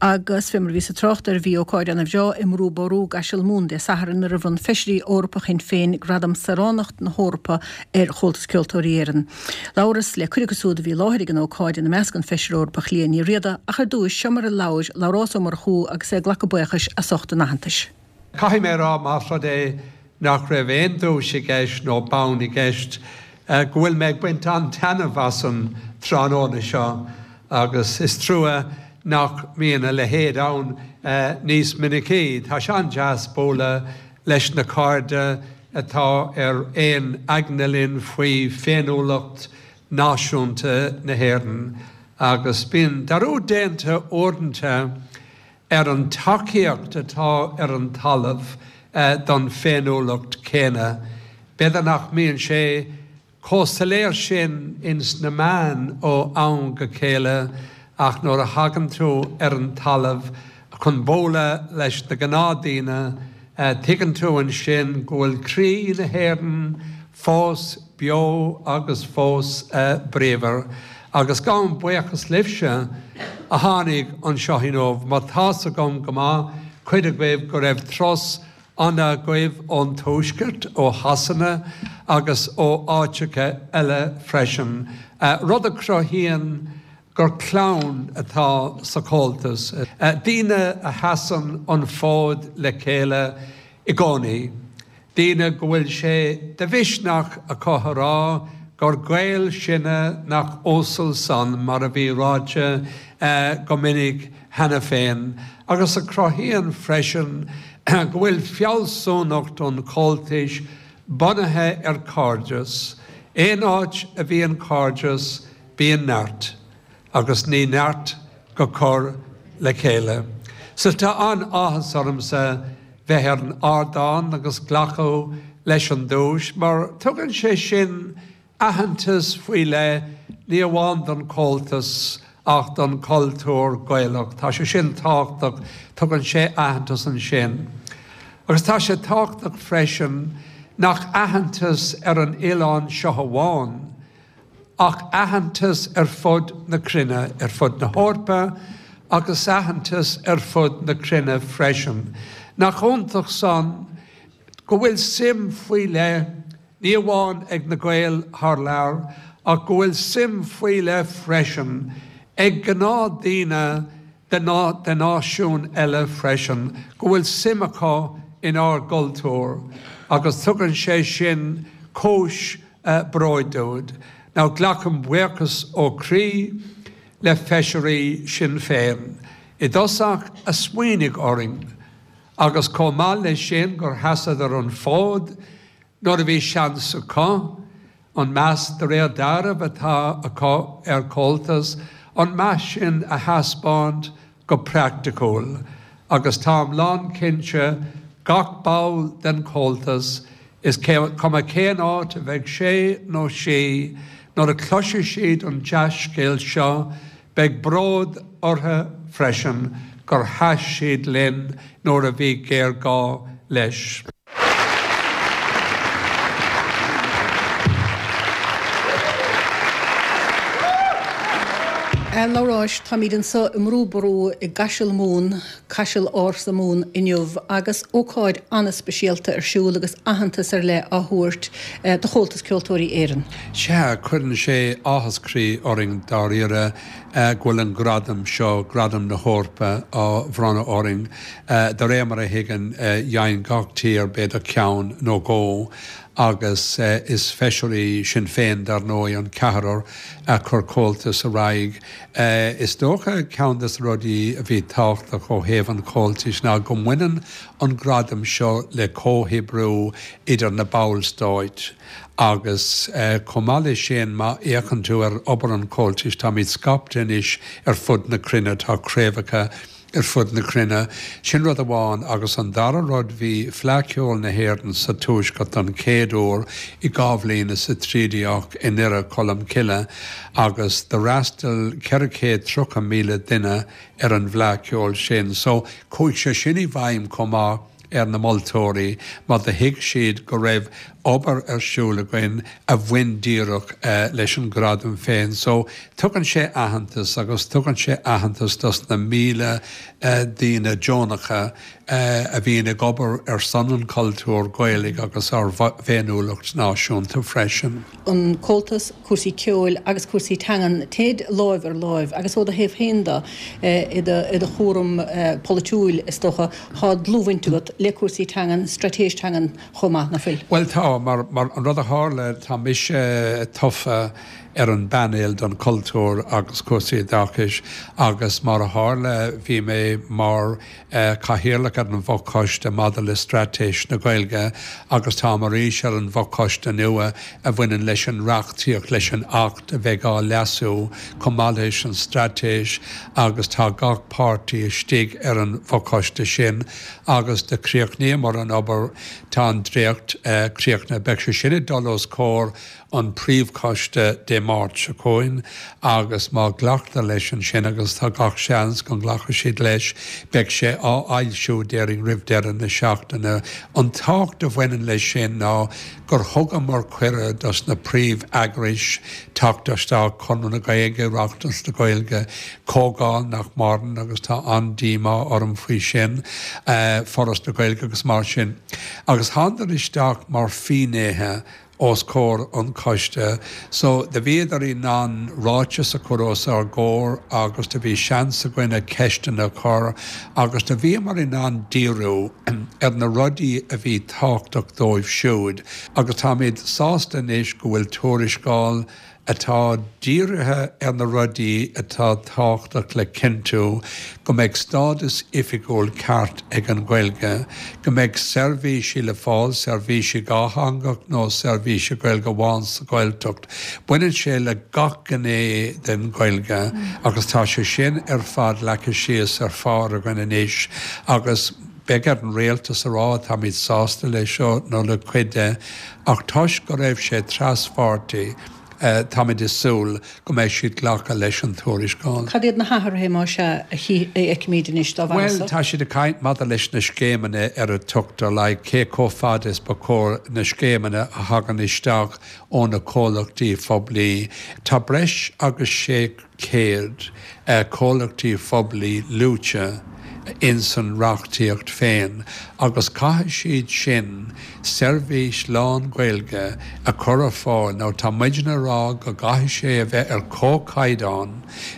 [SPEAKER 1] agus fé mar a bhíos ag trácht air bhí ócáid ana-bhreá i mBrú Ború gCaiseal Mumhan Dé Sathairn nuair a bhronn Feisirí Eorpacha Shinn Féin Gradam Saoránacht na hEorpa ar Chomhaltas Ceoltóirí Éireann. Labhras le cuid acu siúd a bhí i láthair ag an ócáid, ina measc an Feisire Eorpach Liadh Ní Riada, ach ar dtúis, seo mar a labhair Labhrás Ó Murchú agus é ag glacadh buíochais as ucht an aitheantais.
[SPEAKER 3] Caithfidh mé a rá, más rud é nach raibh aon duais i gceist nó bonn i gceist, go bhfuil mé ag baint an-taitneamh as an tráthnóna seo agus is trua nach mbíonn a leithéid ann níos minicí. Tá sé an-deas bualadh leis na cairde atá ar aon aigne linn faoi féiniúlacht náisiúnta na hÉireann agus bíonn dearúd déanta uaireanta ar an tacaíocht atá ar an talamh don féiniúlacht céanna. B'fhéidir nach mbíonn sé chomh soiléir sin ins na meáin ó am go chéile ach nuair a thagann tú ar an talamh chun bualadh leis na gnáthdaoine, tuigeann tú ansin go bhfuil croí na hÉireann fós beo agus fós bríomhar. Agus gabhaim buíochas libhse a tháinig anseo inniu, mar tá's agam go maith, cuid agaibh, go raibh turas fada agaibh ón Tuaisceart, ó Shasana agus ó áiteacha eile freisin, rud a chruthaíonn gur clann atá sa Chomhaltas, daoine a sheasann an fód le chéile i gcónaí, daoine go bhfuil sé de mhisneach acu a rá gur Gaeil sinne nach uasal san, mar a bhí ráite go minic cheana féin, agus a chruthaíonn freisin go bhfuil fealsúnacht an Chomhaltais bunaithe ar chairdeas. Aon áit a bhíonn cairdeas, bíonn neart, agus ní neart go cur le chéile. So tá an-áthas ormsa bheith ar an ardán agus glacadh leis an duais, mar tugann sé sin aitheantas faoi leith ní amháin don Chomhaltas ach don chultúr Gaelach. Tá sé sin tábhachtach, tugann sé aitheantas ansin. Agus tá sé tábhachtach freisin nach aitheantas ar an oileán seo amháin, ach aitheantas ar fud na cruinne, ar fud na hEorpa agus aitheantas ar fud na cruinne freisin. Nach iontach san go bhfuil suim faoi leith, ní amháin ag na Gaeil thar lear, ach go bhfuil suim faoi leith freisin ag gnáthdaoine de de náisiúin eile freisin, go bhfuil suim acu inár gcultúr agus tugann sé sin cúis bróid dúinn. Now glacaim buíochas ó chroí le feisirí Sinn Féin i dtosach a smaoinigh orainn agus chomh maith leis sin gur sheasadar an fód nuair a bhí seans acu, an meas de réir dealraimh atá acu ar Comhaltas, an meas sin a thaispeáint go praiticiúil agus táim lánchinnte gach ball den Chomhaltas, is cuma cén áit a bheidh sé nó sí, nuair a chloisfidh siad an dea-scéal seo, beidh bród orthu freisin gur sheas siad linn nuair a bhí géarghá leis.
[SPEAKER 1] A Labhráis, táimid anseo i mBrú Ború i gCaiseal Mumhan, Caiseal ársa Mumhan inniu agus ócáid an-speisialta ar siúl agus aitheantas ar leith á thabhairt do Chomhaltas Ceoltóirí Éireann.
[SPEAKER 3] Sea, cuireann sé áthas croí orainn dáiríre go bhfuil an gradam seo, Gradam na hEorpa, á bhronnadh orainn. De réir mar a thuigim, dhein gach tír b'fhéidir ceann nó dhó agus is feisirí Sinn Féin, dar ndóigh, an ceathrar a chuir Comhaltas ar aghaidh. Is dócha ceann de na rudaí a bhí tábhachtach ó thaobh an Chomhaltais ná go mbaineann an gradam seo le comhoibriú idir na ballstáit agus chomh maith leis sin má fhéachann tú ar obair an Chomhaltais táimid scaipthe anois ar fud na cruinne, tá craobhacha ar fud na cruinne. Sin rud amháin agus an dara rud bhí Fleadh Cheoil na hÉireann sa Tuaisceart don chéad uair i dhá bhliain is a trí déag i nDoire Cholm Cille agus d'fhreastail ceithre chéad tríocha míle duine ar an bhFleadh Cheoil sin. So chuaigh sé sin i bhfeidhm chomh maith ar na moltóirí mar do thuig siad go raibh obair ar siúl againn a bhain díreach leis an gradam féin. So tugann sé aitheantas agus tugann sé aitheantas dos na míle daoine deonacha a bhíonn ag obair ar son an chultúir Ghaelaigh agus ár bhféiniúlacht náisiúnta freisin.
[SPEAKER 1] An Comhaltas, cúrsaí ceoil agus cúrsaí teangan, téid láimh ar láimh agus ó do thaobh féin de, i do chúram polaitiúil is dócha, tá dlúthbhaint agat le cúrsaí teangan, straitéis teangan chomh maith, nach bhfuil?
[SPEAKER 3] Bhuel tá, mar mar an rud a tharla, tá mise tofa ar an bpainéal don chultúr agus cúrsaí oideachais agus mar a tharla bhí mé mar chathaoirleach ar an bhfochoiste maidir le Straitéis na Gaeilge agus táim arís ar an bhfochoiste nua a bhaineann leis an reachtaíocht, leis an Acht a bheidh á leasú chomh maith leis an Straitéis agus tá gach páirtí istigh ar an bhfochoiste sin agus do chríochnaíomar an obair, tá an dréacht críochnaithe, beidh sé sin ag dul os comhair an príomhchoiste Dé Máirt seo chugainn agus má ghlactar leis ansin, agus tá gach seans go nglacfaidh siad leis, beidh sé á fhoilsiú déarfainn roimh deireadh na seachtaine. An tábhacht a bhaineann leis sin ná gur thugamar cuireadh dos na príomh-eagrais teacht isteach, Conradh na Gaeilge, Oireachtas na Gaeilge, Comhdháil nach maireann agus tá an-díomá orm faoi sin, Foras na Gaeilge agus mar sin. Agus thánadar isteach mar fhinnéithe. os comhair an choiste. So do bhíodar in ann ráiteas a chur os ár gcomhair agus do bhí seans againne ceisteanna a chur agus do bhíomar in ann díriú ar na rudaí a bhí tábhachtach dóibh siúd agus táimid sásta anois go bhfuil tuarascáil atá dírithe ar na rudaí atá tábhachtach le cinntiú go mbeidh stádas oifigiúil ceart ag an Ghaeilge, go mbeidh seirbhísí le fáil, seirbhísí dhátheangach nó seirbhísí Gaeilge amháin sa Ghaeltacht. Baineann sé le gach gné den Ghaeilge agus tá sé sin ar fad leagtha síos ar phár againn anois agus beidh ar an rialtas a rá táimid sásta leis seo nó le cuid de ach toisc go raibh sé traspháirtí, táimid ag súil go mbeidh siad glacadh leis an tuarascáil.
[SPEAKER 1] Cad iad na hathruithe, más ea, a fheicimid anois dá bharr
[SPEAKER 3] Bhuel, tá siad ag caint maidir leis na scéimeanna ar a tugtar like cé chomh fada is ba chóir na scéimeanna a thagann isteach ó na comhlachtaí phoiblí. Tá breis agus sé chéad comhlachtaí phoiblí luaite ins an reachtaíocht féin agus caithfidh siad sin seirbhís lán-Ghaeilge a chur ar fáil nó tá muidne a rá go gcaithfidh sé a bheith ar comhchaighdeán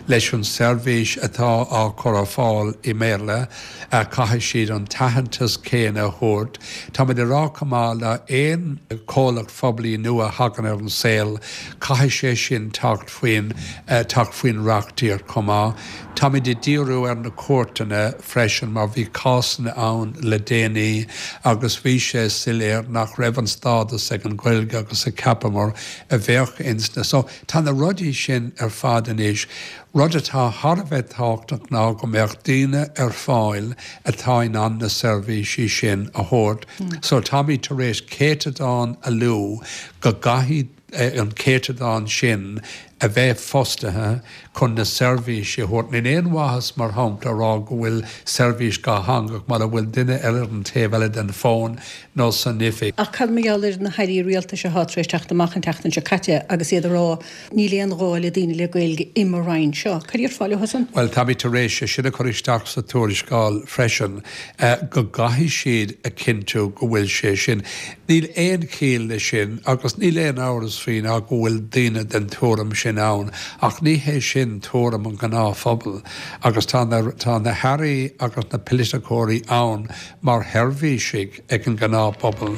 [SPEAKER 3] leis an seirbhís atá á chur ar fáil i mBéarla, caithfidh siad an t-aitheantas céanna a thabhairt. Táimid a rá chomh maith le aon chomhlacht phoiblí nua a thagann ar an saol, caithfidh sé sin teacht faoin teacht faoin reachtaíocht chomh maith. Táimid ag díriú ar na cúirteanna freisin mar bhí cásanna ann le déanaí agus bhí sé soiléir nach raibh an stádas ag an Ghaeilge agus a cheapamar a bheadh ins na so tá na rudaí sin ar fad anois. Rud atá thar a bheith tábhachtach ná go mbeadh daoine ar fáil atá in ann na seirbhísí sin a thabhairt. So táimid tar éis céatadán a lua go gcaithfidh an céatadán sin a bheith fostaithe chun na seirbhísí a thabhairt. Níl aon mhaitheas, mar shampla, a rá go bhfuil seirbhís dhátheangach mura bhfuil duine ar an taobh eile den fón nó san oifig.
[SPEAKER 1] Ach cad mar gheall ar na hairí rialtais atá tar éis teacht amach an tseachtain seo caite agus iad ag rá níl aon ghá le daoine le Gaeilge i mo Roinn seo? Cad a déarfá leo san?
[SPEAKER 3] Bhuel, táimid tar éis é sin a chur isteach sa tuarascáil freisin, go gcaithfidh siad a chinntiú go bhfuil sé sin. Níl aon chiall leis sin agus níl aon amhras faoi ná go bhfuil daoine den tuairim sin ann ach ní hé sin tuairim an ghnáthphobail agus tá na tá na hairí agus na poiliticeoirí ann mar sheirbhísigh ag an ngnáthphobal.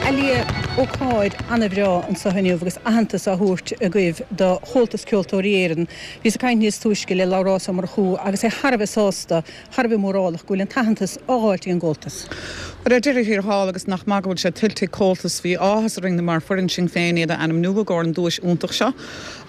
[SPEAKER 1] A Liadh, ócáid an-bhreá anseo inniu agus aitheantas á thabhairt agaibh do Chomhaltas Ceoltóirí Éireann. Bhíos ag caint níos túisce le Labhrás Ó Murchú agus é thar a bheith sásta, thar a bheith mórálach go bhfuil an t-aitheantas á dháilt ag an gComhaltas.
[SPEAKER 4] Bhuel, ar deireadh thiar thall, agus nach maith go bhfuil sé tuillte ag Comhaltas, bhí áthas orainn mar foireann Sinn Féin iad a ainmniú i gcomhair an duais iontach seo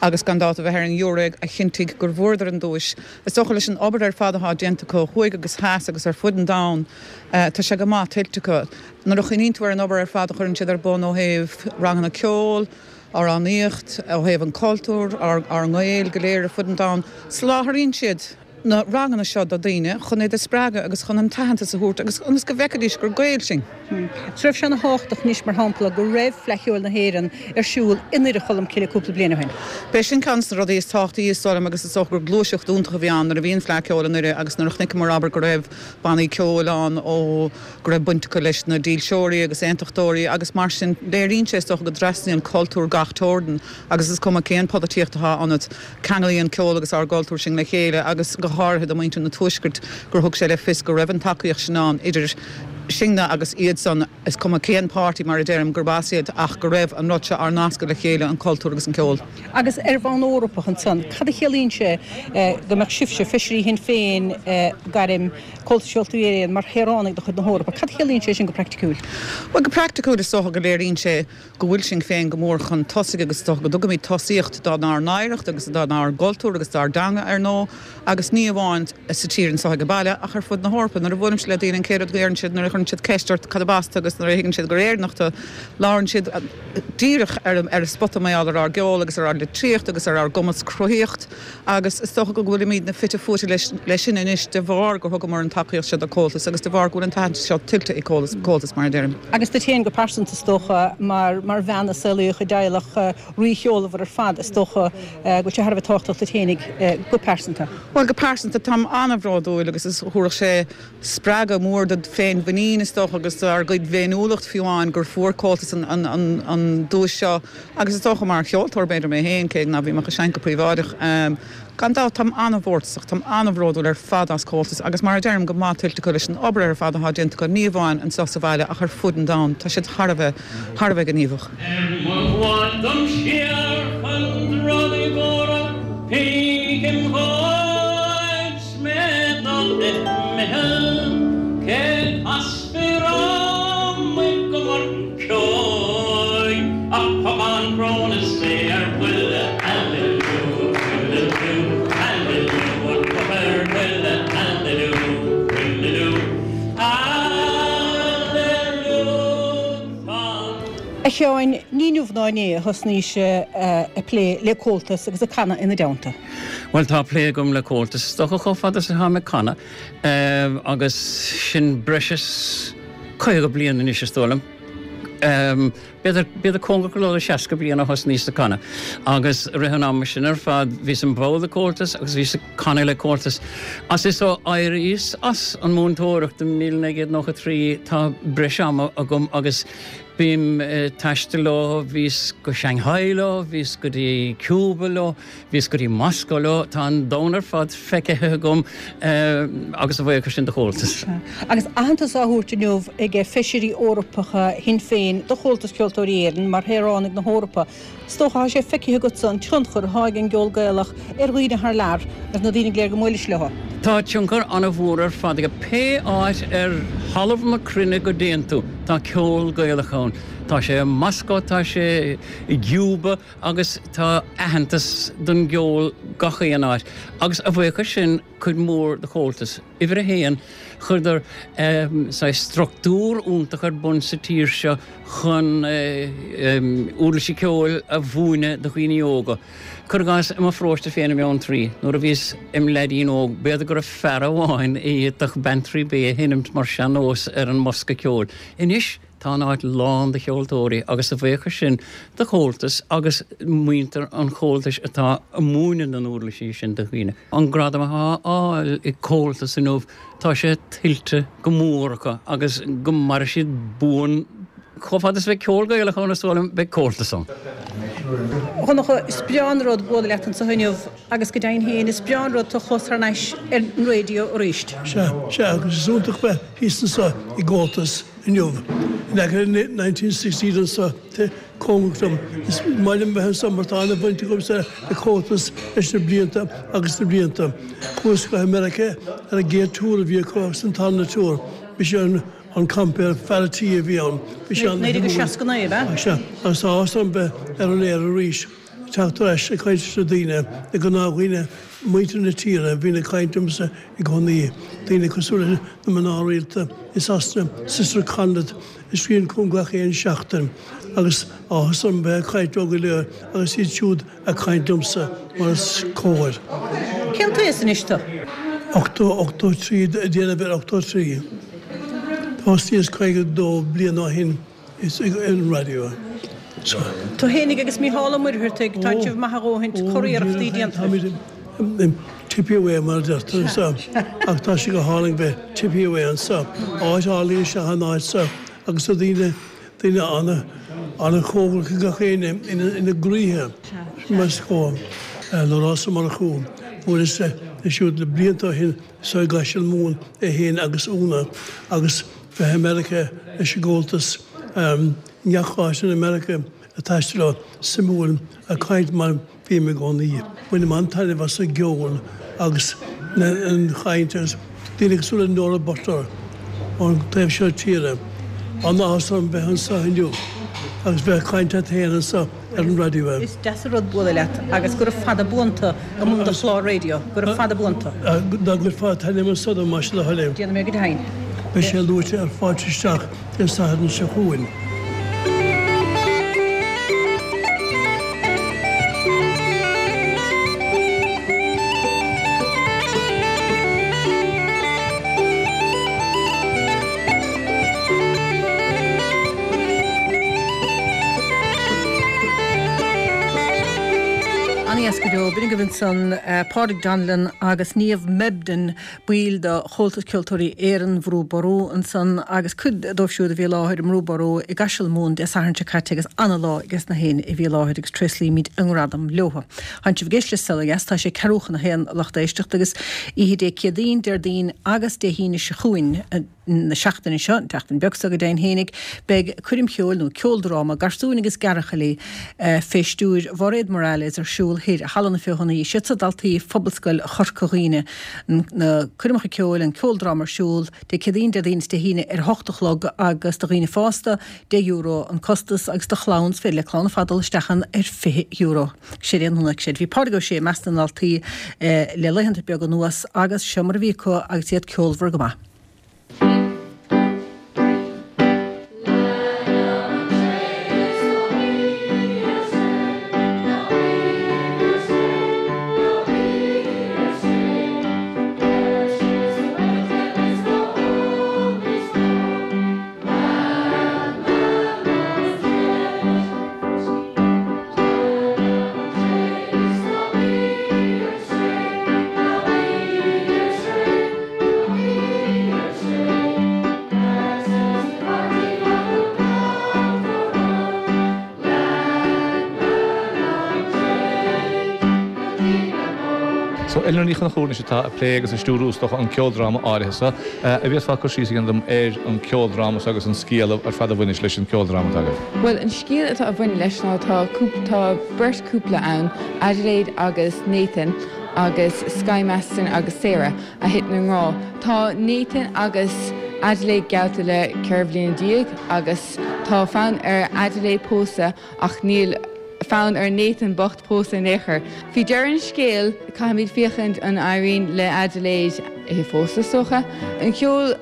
[SPEAKER 4] agus gan dabht a bheith ar an ghiúiré a chinntigh gur bhfuaireadar an duais. Is dócha leis an obair ar fad atá déanta acu thuaidh agus theas agus ar fud an domhain, tá sé go maith tuillte acu. Nuair a chuimhníonn tú ar an obair ar fad a chuireann siad ar bun ó thaobh ranganna ceoil, amhránaíocht, ó thaobh an cultúr, ár nGaeil go léir ar fud an domhain, soláthraíonn siad na ranganna seo do dhaoine chun iad a spreagadh agus chun an t-aitheantas a thabhairt agus ionas go bhfeicfidís gur Gaeil sinn.
[SPEAKER 1] Is raibh sé ana thábhachtach anois, mar shampla, go raibh Fleadh Cheoil na hÉireann ar siúl i nDoire Cholm Cille cúpla bliain ó shin.
[SPEAKER 4] B'é sin ceann de na rudaí is tábhachtaí is dóigh liom agus is dócha gur gluaiseacht iontach a bhí ann nuair a bhí an Fleadh Ceoil i nDoire agus nuair a chonaiceamar abair go raibh bannaí ceoil ann ó go raibh baint acu leis na dílseoirí agus aontachtóirí agus mar sin léiríonn sé is dócha go dtrasnaíonn cultúr gach teorainn agus is cuma cén pholaitíocht atá ionat ceanglaíonn ceol agus ár gcultúr sinn le chéile agus go háirithe do mhuintir na Tuaiscirt gur thug sé le fios go raibh an tacaíocht sin ann idir sinne agus iadsan is cuma cén páirtí mar a deirim gurb as iad ach go raibh an rud seo ár nascadh le chéile an cultúr agus an ceol.
[SPEAKER 1] Agus ar bhonn Eorpach ansan, cad a chiallaíonn sé go mbeadh sibhse, Feisirí Shinn Féin, gairm Comhaltas Ceoltóirí Éireann, mar shaoránaigh de chuid na hEorpa? Cad a chiallaíonn sé sin go praiticiúil?
[SPEAKER 4] Bhuel, go praiticiúil is dócha go léiríonn sé go bhfuil Sinn Féin go mór chun tosaigh agus is dócha go dtugaimid tosaíocht dár n-oidhreacht agus dár gcultúr agus dár dteanga, ar ndóigh, agus ní amháin sa tír anseo ag baile ach ar fud na hEorpa. Nuair a bhuailimse le daoine, an chéad rud a deireann siad nuair a cuireann siad ceist ort cad as tú agus nuair a thuigeann siad gur Éireannach tú, labhrann siad díreach ar ar an spota mar gheall ar ár gceol agus ar ár litríocht agus ar ár gcumas cruthaíocht agus is dócha go bhfuilimidne fite fuaite leis leis sin anois de bharr gur thugamar an tacaíocht seo do Comhaltas agus de bharr go bhfuil an t-aitheantas seo tuillte ag Comhaltas mar a deirim.
[SPEAKER 1] Agus duit féin go pearsanta is dócha mar mar bhean a saolaíodh i dteaghlach rícheolmhar ar fad is dócha go bhfuil sé thar a bheith tábhachtach duit féinig go pearsanta.
[SPEAKER 4] Bhuel go pearsanta táim an-bhródúil agus is thabharfadh sé spreagadh mór do féinmhuinín is dócha agus ár gcuid féiniúlacht fiú amháin gur fuair Comhaltas an an an an duais seo agus is dócha mar cheoltóir b'fhéidir mé féin cé ná bím ach ag seinnt go príobháideach. Gan dabht táim an-mhórtasach, táim an-bhródúil ar fad as Comhaltas agus mar a deirim go maith tuillte acu leis an obair ar fad atá déanta acu ní amháin anseo sa bhaile ach ar fud an domhain, tá siad thar a bheith thar a bheith gníomhach.
[SPEAKER 5] Ar mo bhail dom siar chun drugaí mhóra Pekin White mé dul imithe cé casfaí amuigh go Murchóidh ach pocán cróna is é ar buile Hallelujah Hallelujah an cloch ar buile Hallelujah Hallelujah
[SPEAKER 1] A Sheáin, ní inniu ná inné a thosnaís ag plé le Comhaltas agus ag canadh ina dteannta.
[SPEAKER 6] Well tá plé agam le Comhaltas is dócha chomh fada is atá mé ag canadh agus sin breis is caoga bliain anois is dóigh liom. B'fhéidir b'fhéidir cóngarach go leor le seasca bliain a thosnaíos ag canadh agus rith an ama sin ar fad bhíos im bhall de Comhaltas agus bhíos ag canadh le Comhaltas. As is ó éiríos as an múinteoireacht i míle naoi gcéad nócha trí tá breis ama agam agus bím ag taisteal leo, bhíos go Shanghai leo, bhíos go dtí Cuba leo, bhíos go dtí Moscow leo, tá an domhan ar fad feicthe agam agus a bhuíochas sin do Chomhaltas.
[SPEAKER 1] Agus aitheantas á thabhairt inniu ag feisirí Eorpacha Shinn Féin do Chomhaltas Ceoltóirí Éireann mar shaoránaigh na hEorpa. Is dócha tá sé feicthe agatsa an tionchar atá ag an gceol Gaelach ar dhaoine thar lear agus na daoine go léir go mbuailis leo.
[SPEAKER 6] Tá tionchar an-mhór ar fad aige pé áit ar thalamh na cruinne go dtéann tú, tá ceol Gaelach ann. Tá sé i Moscow, tá sé i gCuba agus tá aitheantas don gceol gach aon áit. Agus a bhuíochas sin cuid mhór do Chomhaltas. Uimhir a haon, chuireadar saghas struchtúr iontach ar bun sa tír seo chun uirlisí ceoil a mhúineadh do dhaoine óga. Cuir i gcás i mo pharóiste féin i mBeanntraí, nuair a bhíos im leaidín óg, b'fhéidir go raibh fear amháin a d'fhéadfadh Bantry Bay a sheinmt mar sean-nós ar an mbosca ceoil. Anois tá an áit lán de cheoltóirí agus a bhuíochas sin do Chomhaltas agus muintir an Chomhaltais atá ag múineadh na n-uirlisí sin do dhaoine. An gradam atá á fháil ag Comhaltas inniu, tá sé tuillte go mór acu agus go maire siad buan chomh fada is a bheidh ceol Gaelach ann is dóigh liom, beidh Comhaltas ann.
[SPEAKER 1] A Dhonncha, is breá an rud bualadh leat anseo inniu agus go deimhin féin is breá an rud tú a chlos thar n-ais ar an raidió arís.
[SPEAKER 7] Sea, sea, agus is iontach bheith thíos anseo i gComhaltas inniu. In aice le nineteen sixteen anseo, cóngarach dom. Is maith liom bheith anseo mar tá an-bhaint agamsa le Comhaltas leis na blianta agus na blianta. Chuas go Meiriceá ar an gcéad tour a bhí acu agus an tarna tour. Mise an an compère, fear a' tí a bhí ann. Bhí sé
[SPEAKER 1] Naoi déag seasca naoi, ab ea?
[SPEAKER 7] Sea, agus tá áthas orm bheith ar an aer arís, ag teacht ar ais ag caint leis na daoine, na gnáthdhaoine, muintir na tíre a bhíonn ag caint liomsa i gcónaí, daoine cosúil leis na mná rialta i Sasana, Sister Conleth, a scríobhann chugam gach aon seachtain, agus áthas orm bheith ag caint leo go léir agus iad siúd ag caint liomsa, mar is cóir.
[SPEAKER 1] Cén t-aois anois tú?
[SPEAKER 7] Ochtó, ochtó trí, ag déanamh ar ochtó trí. Thosnaíos caoga dó bliain ó shin ar an raidió.
[SPEAKER 1] Tú fhéinig agus Mícheál Ó Muircheartaigh, tá sibh maith a dhóthaint, curiarrachtaí déanta.
[SPEAKER 7] Táimid tippy away mar a deirtear anseo, ach tá sé go hálainn bheith tippy away anseo. Áit álainn is ea an áit seo agus tá daoine, daoine an-chóngarach ag gach éinne ina gcroíthe, mar is cóir. Labhrás Ó Murchú, bhuaileas leis siúd le blianta ó shin So i gCaiseal Mumhan é féin agus Úna agus bheith i Meiriceá leis an gComhaltas i ngach áit in America ag taisteal leo, suimiúil, ag caint mar bhím i gcónaí. Bainim an-taitneamh as an gceol agus an chaint agus daoine cosúil le Nóra Butler ón taobh seo tíre. An-áthas orm bheith anseo inniu agus bheith ag caint leat féin anseo ar an raidió.
[SPEAKER 1] Is deas an rud bualadh leat agus gura fada buan tú i mbun do chlár raidió. Gura fada buan tú.
[SPEAKER 7] Dá gcuirfeá an t-ainm anso dom, más é do thoil é.
[SPEAKER 1] Déanfaidh mé go deimhin.
[SPEAKER 7] Beidh sé luaite ar Fáilte Isteach Dé Sathairn seo chugainn.
[SPEAKER 1] Ana-dheas go deo. B'in agaibh ansan Pádraig Donnellan agus Niamh Mebden, baill de Chomhaltas Ceoltóirí Éireann, Bhrú Ború ansan agus cuid dóibh siúd a bhí i láthair i mBrú Ború i gCaiseal Mumhan Dé Sathairn seo caite agus ana-lá ages na héinne a bhí i láthair agus tréaslaímid a ngradam leo. Tánn sibh ag éisteacht le Saol Ó Dheas, tá sé ceathrú chun a haon a lucht éisteachta agus oíche Dé Céadaoin, Déardaoin agus Dé hAoine seo chugainn, na seachtaine seo, an tseachtain bheag seo go deimhin fhéinig, beidh coirm cheoil nó ceoldráma garsúin agus gearrchailí fé stiúir Mhairéad Morales ar siúl thoir i Halla na Feothanaí. Is iad seo daltaí Phobalscoil Chorca Dhuibhne. Na coirmeacha ceoil, an ceoldráma ar siúl Dé Céadaoin, Déardaoin is Dé hAoine ar a hocht a chlog agus do dhaoine fásta, deich euro an costas agus do chlann, is féidir le clann ar fad dul isteach ann ar fiche euro. Séard é an chonaic siad. Bhí Pádraig Ó Sé i measc na ndaltaí le laethanta beaga anuas agus seo mar a bhí acu agus iad ceolmhar go maith.
[SPEAKER 8] So Eleanor Ní Chonchúir anois atá ag plé agus ag stiúrú is dócha an ceoldráma áirithe seo. An bhféadfá cur síos a dhéanamh dom ar an ceoldráma seo agus an scéal ar fad a bhaineas leis an ceoldráma atá agaibh?
[SPEAKER 9] Bhuel, an scéal atá a bhaineann leis ná tá tá beirt cúpla ann, Adelaide agus Nathan agus Sky Masterson agus Sarah, a thiteann i ngrá. Tá Nathan agus Adelaide geallta le ceithre bhliana déag agus tá fonn ar Adelaide pósadh ach níl fonn ar Nathan bocht pósadh in aon chor. Faoi dheireadh an scéil, caithfimid féachaint an éiríonn le Adelaide é a phósadh, is dócha. An ceol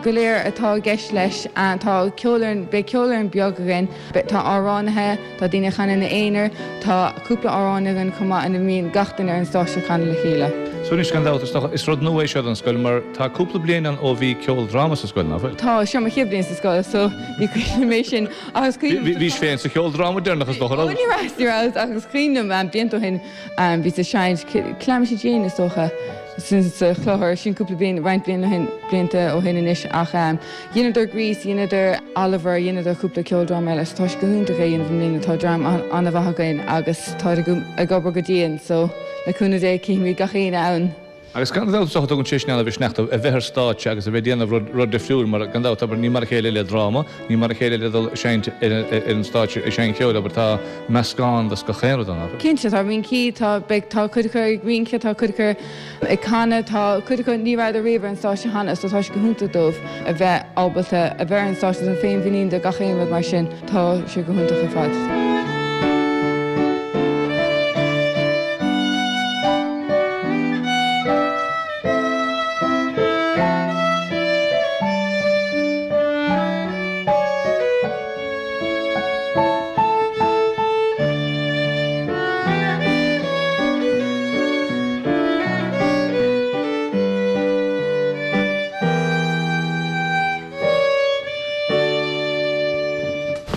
[SPEAKER 9] go léir atá i gceist leis, tá ceolfhoireann, beidh ceolfhoireann beag againn, tá amhránaithe, tá daoine a chanann ina aonar, tá cúpla amhrán againn chomh maith ina mbíonn gach duine ar an stáitse ag canadh le chéile.
[SPEAKER 8] So anois gan dabht, is dócha, is rud nua é seo don scoil mar tá cúpla bliain ann ó bhí ceoldráma sa scoil, nach bhfuil?
[SPEAKER 9] Tá, seo mo chéad bhliain sa scoil so ní cuimhin liom é sin ach is cuimhin liom.
[SPEAKER 8] Bhís féin sa cheoldráma deireanach is dócha, raibh?
[SPEAKER 9] Ó ní raibh, ní raibh ach is cuimhin liom blianta ó shin bhíos ag seinnt Calamity Jane is dócha sa chlochar, sin cúpla bliain, roinnt bliain ó shin, blianta ó shin anois ach dheineadar Grease, dheineadar Oliver, dheineadar cúpla ceoldráma eile so tá sé go hiontach é a dhéanamh i mbliana, tá dream an-mhaith againn agus táid ag obair go dian so le cúnamh Dé cífimid gach éinne ann.
[SPEAKER 8] Agus gan dabht is dócha tugann sé sin an-mhisneach dóibh a bheith ar stáitse agus a bheith ag déanamh rud rud difriúil mar gan dabht abair ní mar a chéile le dráma, ní mar a chéile le dul ag seinnt ar ar an stáitse ag seinnt ceoil abair tá meascán de gach aon rud ann abair.
[SPEAKER 9] Cinnte tá rincí, tá beidh tá cuid acu ag rince, tá cuid acu ag canadh, tá cuid acu ní rabhadar riamh ar an stáitse cheana so tá sé go hiontach dóibh a bheith ábalta a bheith ar an stáitse an féinmhuinín de gach aon rud mar sin tá sé go hiontach ar fad.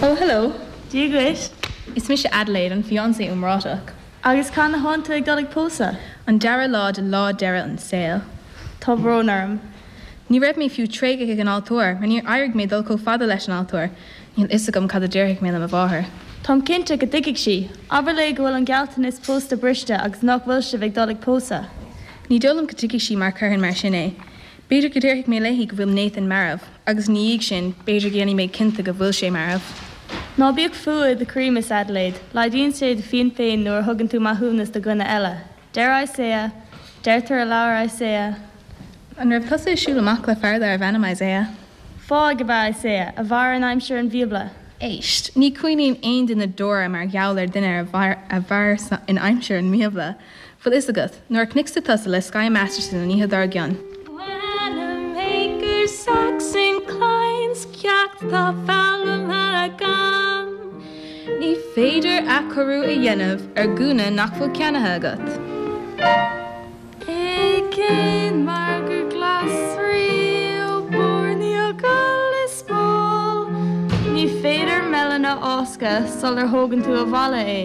[SPEAKER 10] Oh, hello.
[SPEAKER 11] Dia dhuit.
[SPEAKER 10] Is mise Adelaide, an fiancé iomráiteach.
[SPEAKER 11] Agus cathain atánn tú ag dul ag pósadh?
[SPEAKER 10] An dara lá de lá deiridh an tsaoil.
[SPEAKER 11] Tá brón orm.
[SPEAKER 10] Ní raibh mé fiú tréigthe ag an altóir, mar níor éirigh mé dul chomh fada leis an altóir. Níl fhios agam cad a déarfaidh mé le mo mháthair.
[SPEAKER 11] Táim cinnte go dtuigfidh sí. Abair léi go bhfuil an gealltanas pósta briste agus nach bhfuil sibh ag dul ag pósadh.
[SPEAKER 10] Ní dóigh liom go dtuigfidh sí mar chuirfinn mar sin é. B'fhéidir go déarfaidh mé léi go bhfuil Nathan marbh, agus ina dhiaidh sin, b'fhéidir go dhéanfaidh mé cinnte go bhfuil sé marbh.
[SPEAKER 11] Ná bíodh fuath i do chroí, Miss Adelaide. Laghdaíonn sé do phian féin nuair a thugann tú maithiúnas do dhuine eile. Deir Isaiah, Deirtear i leabhar Isaiah.
[SPEAKER 10] An raibh tusa ag siúl amach le fear darbh ainm Isaiah?
[SPEAKER 11] Fáidh ab ea Isaiah, a mhair in aimsir an Bhíobla.
[SPEAKER 10] Éist, ní chuimhníonn aon duine deora mar gheall ar dhuine a mhair in aimsir an mBíobla. Bhfuil fhios agat, nuair a chonaic tusa le Sky Masterson an oíche dár gcionn. Wanamaker, Saxon.
[SPEAKER 11] tá foghlamtha agam.
[SPEAKER 10] Ní féidir athchóiriú a dhéanamh ar ghúna nach bhfuil ceannaithe agat.
[SPEAKER 11] I gcéin mar gur glasraí ó Borneo go Liospóil. Ní féidir melon a fháscadh sular thógann tú abhaile é.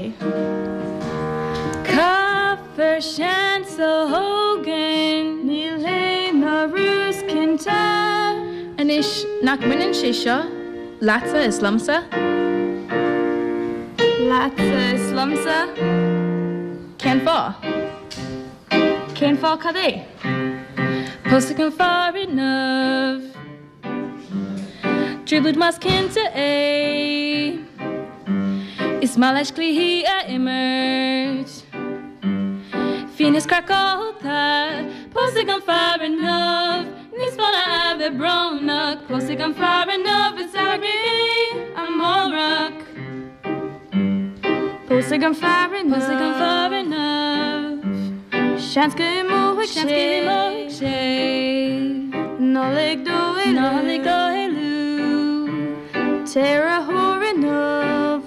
[SPEAKER 11] Caithfear seans a thógaint. Níl aon urrús cinnte.
[SPEAKER 10] Anois nach mbaineann sé seo leatsa is liomsa?
[SPEAKER 11] Leatsa is liomsa?
[SPEAKER 10] Cén fáth?
[SPEAKER 11] Cén fáth cad é?
[SPEAKER 10] Pósfaidh an fear inniu. Trioblóid más cinnte é. Is maith leis cluichí a imirt. Fíon is craiceáilte, pósfaidh an fear inniu. Níos fearr a bheith brónach, pósfaidh an fear inniu is athraigh amárach.
[SPEAKER 11] Pósfaidh an fear inniu.
[SPEAKER 10] Pósfaidh an fear inniu.
[SPEAKER 11] Seans go imeoidh
[SPEAKER 10] Seans go imeoidh sé.
[SPEAKER 11] Ná lig dó éalú.
[SPEAKER 10] Ná lig dó éalú.
[SPEAKER 11] Téir á thóir inniu.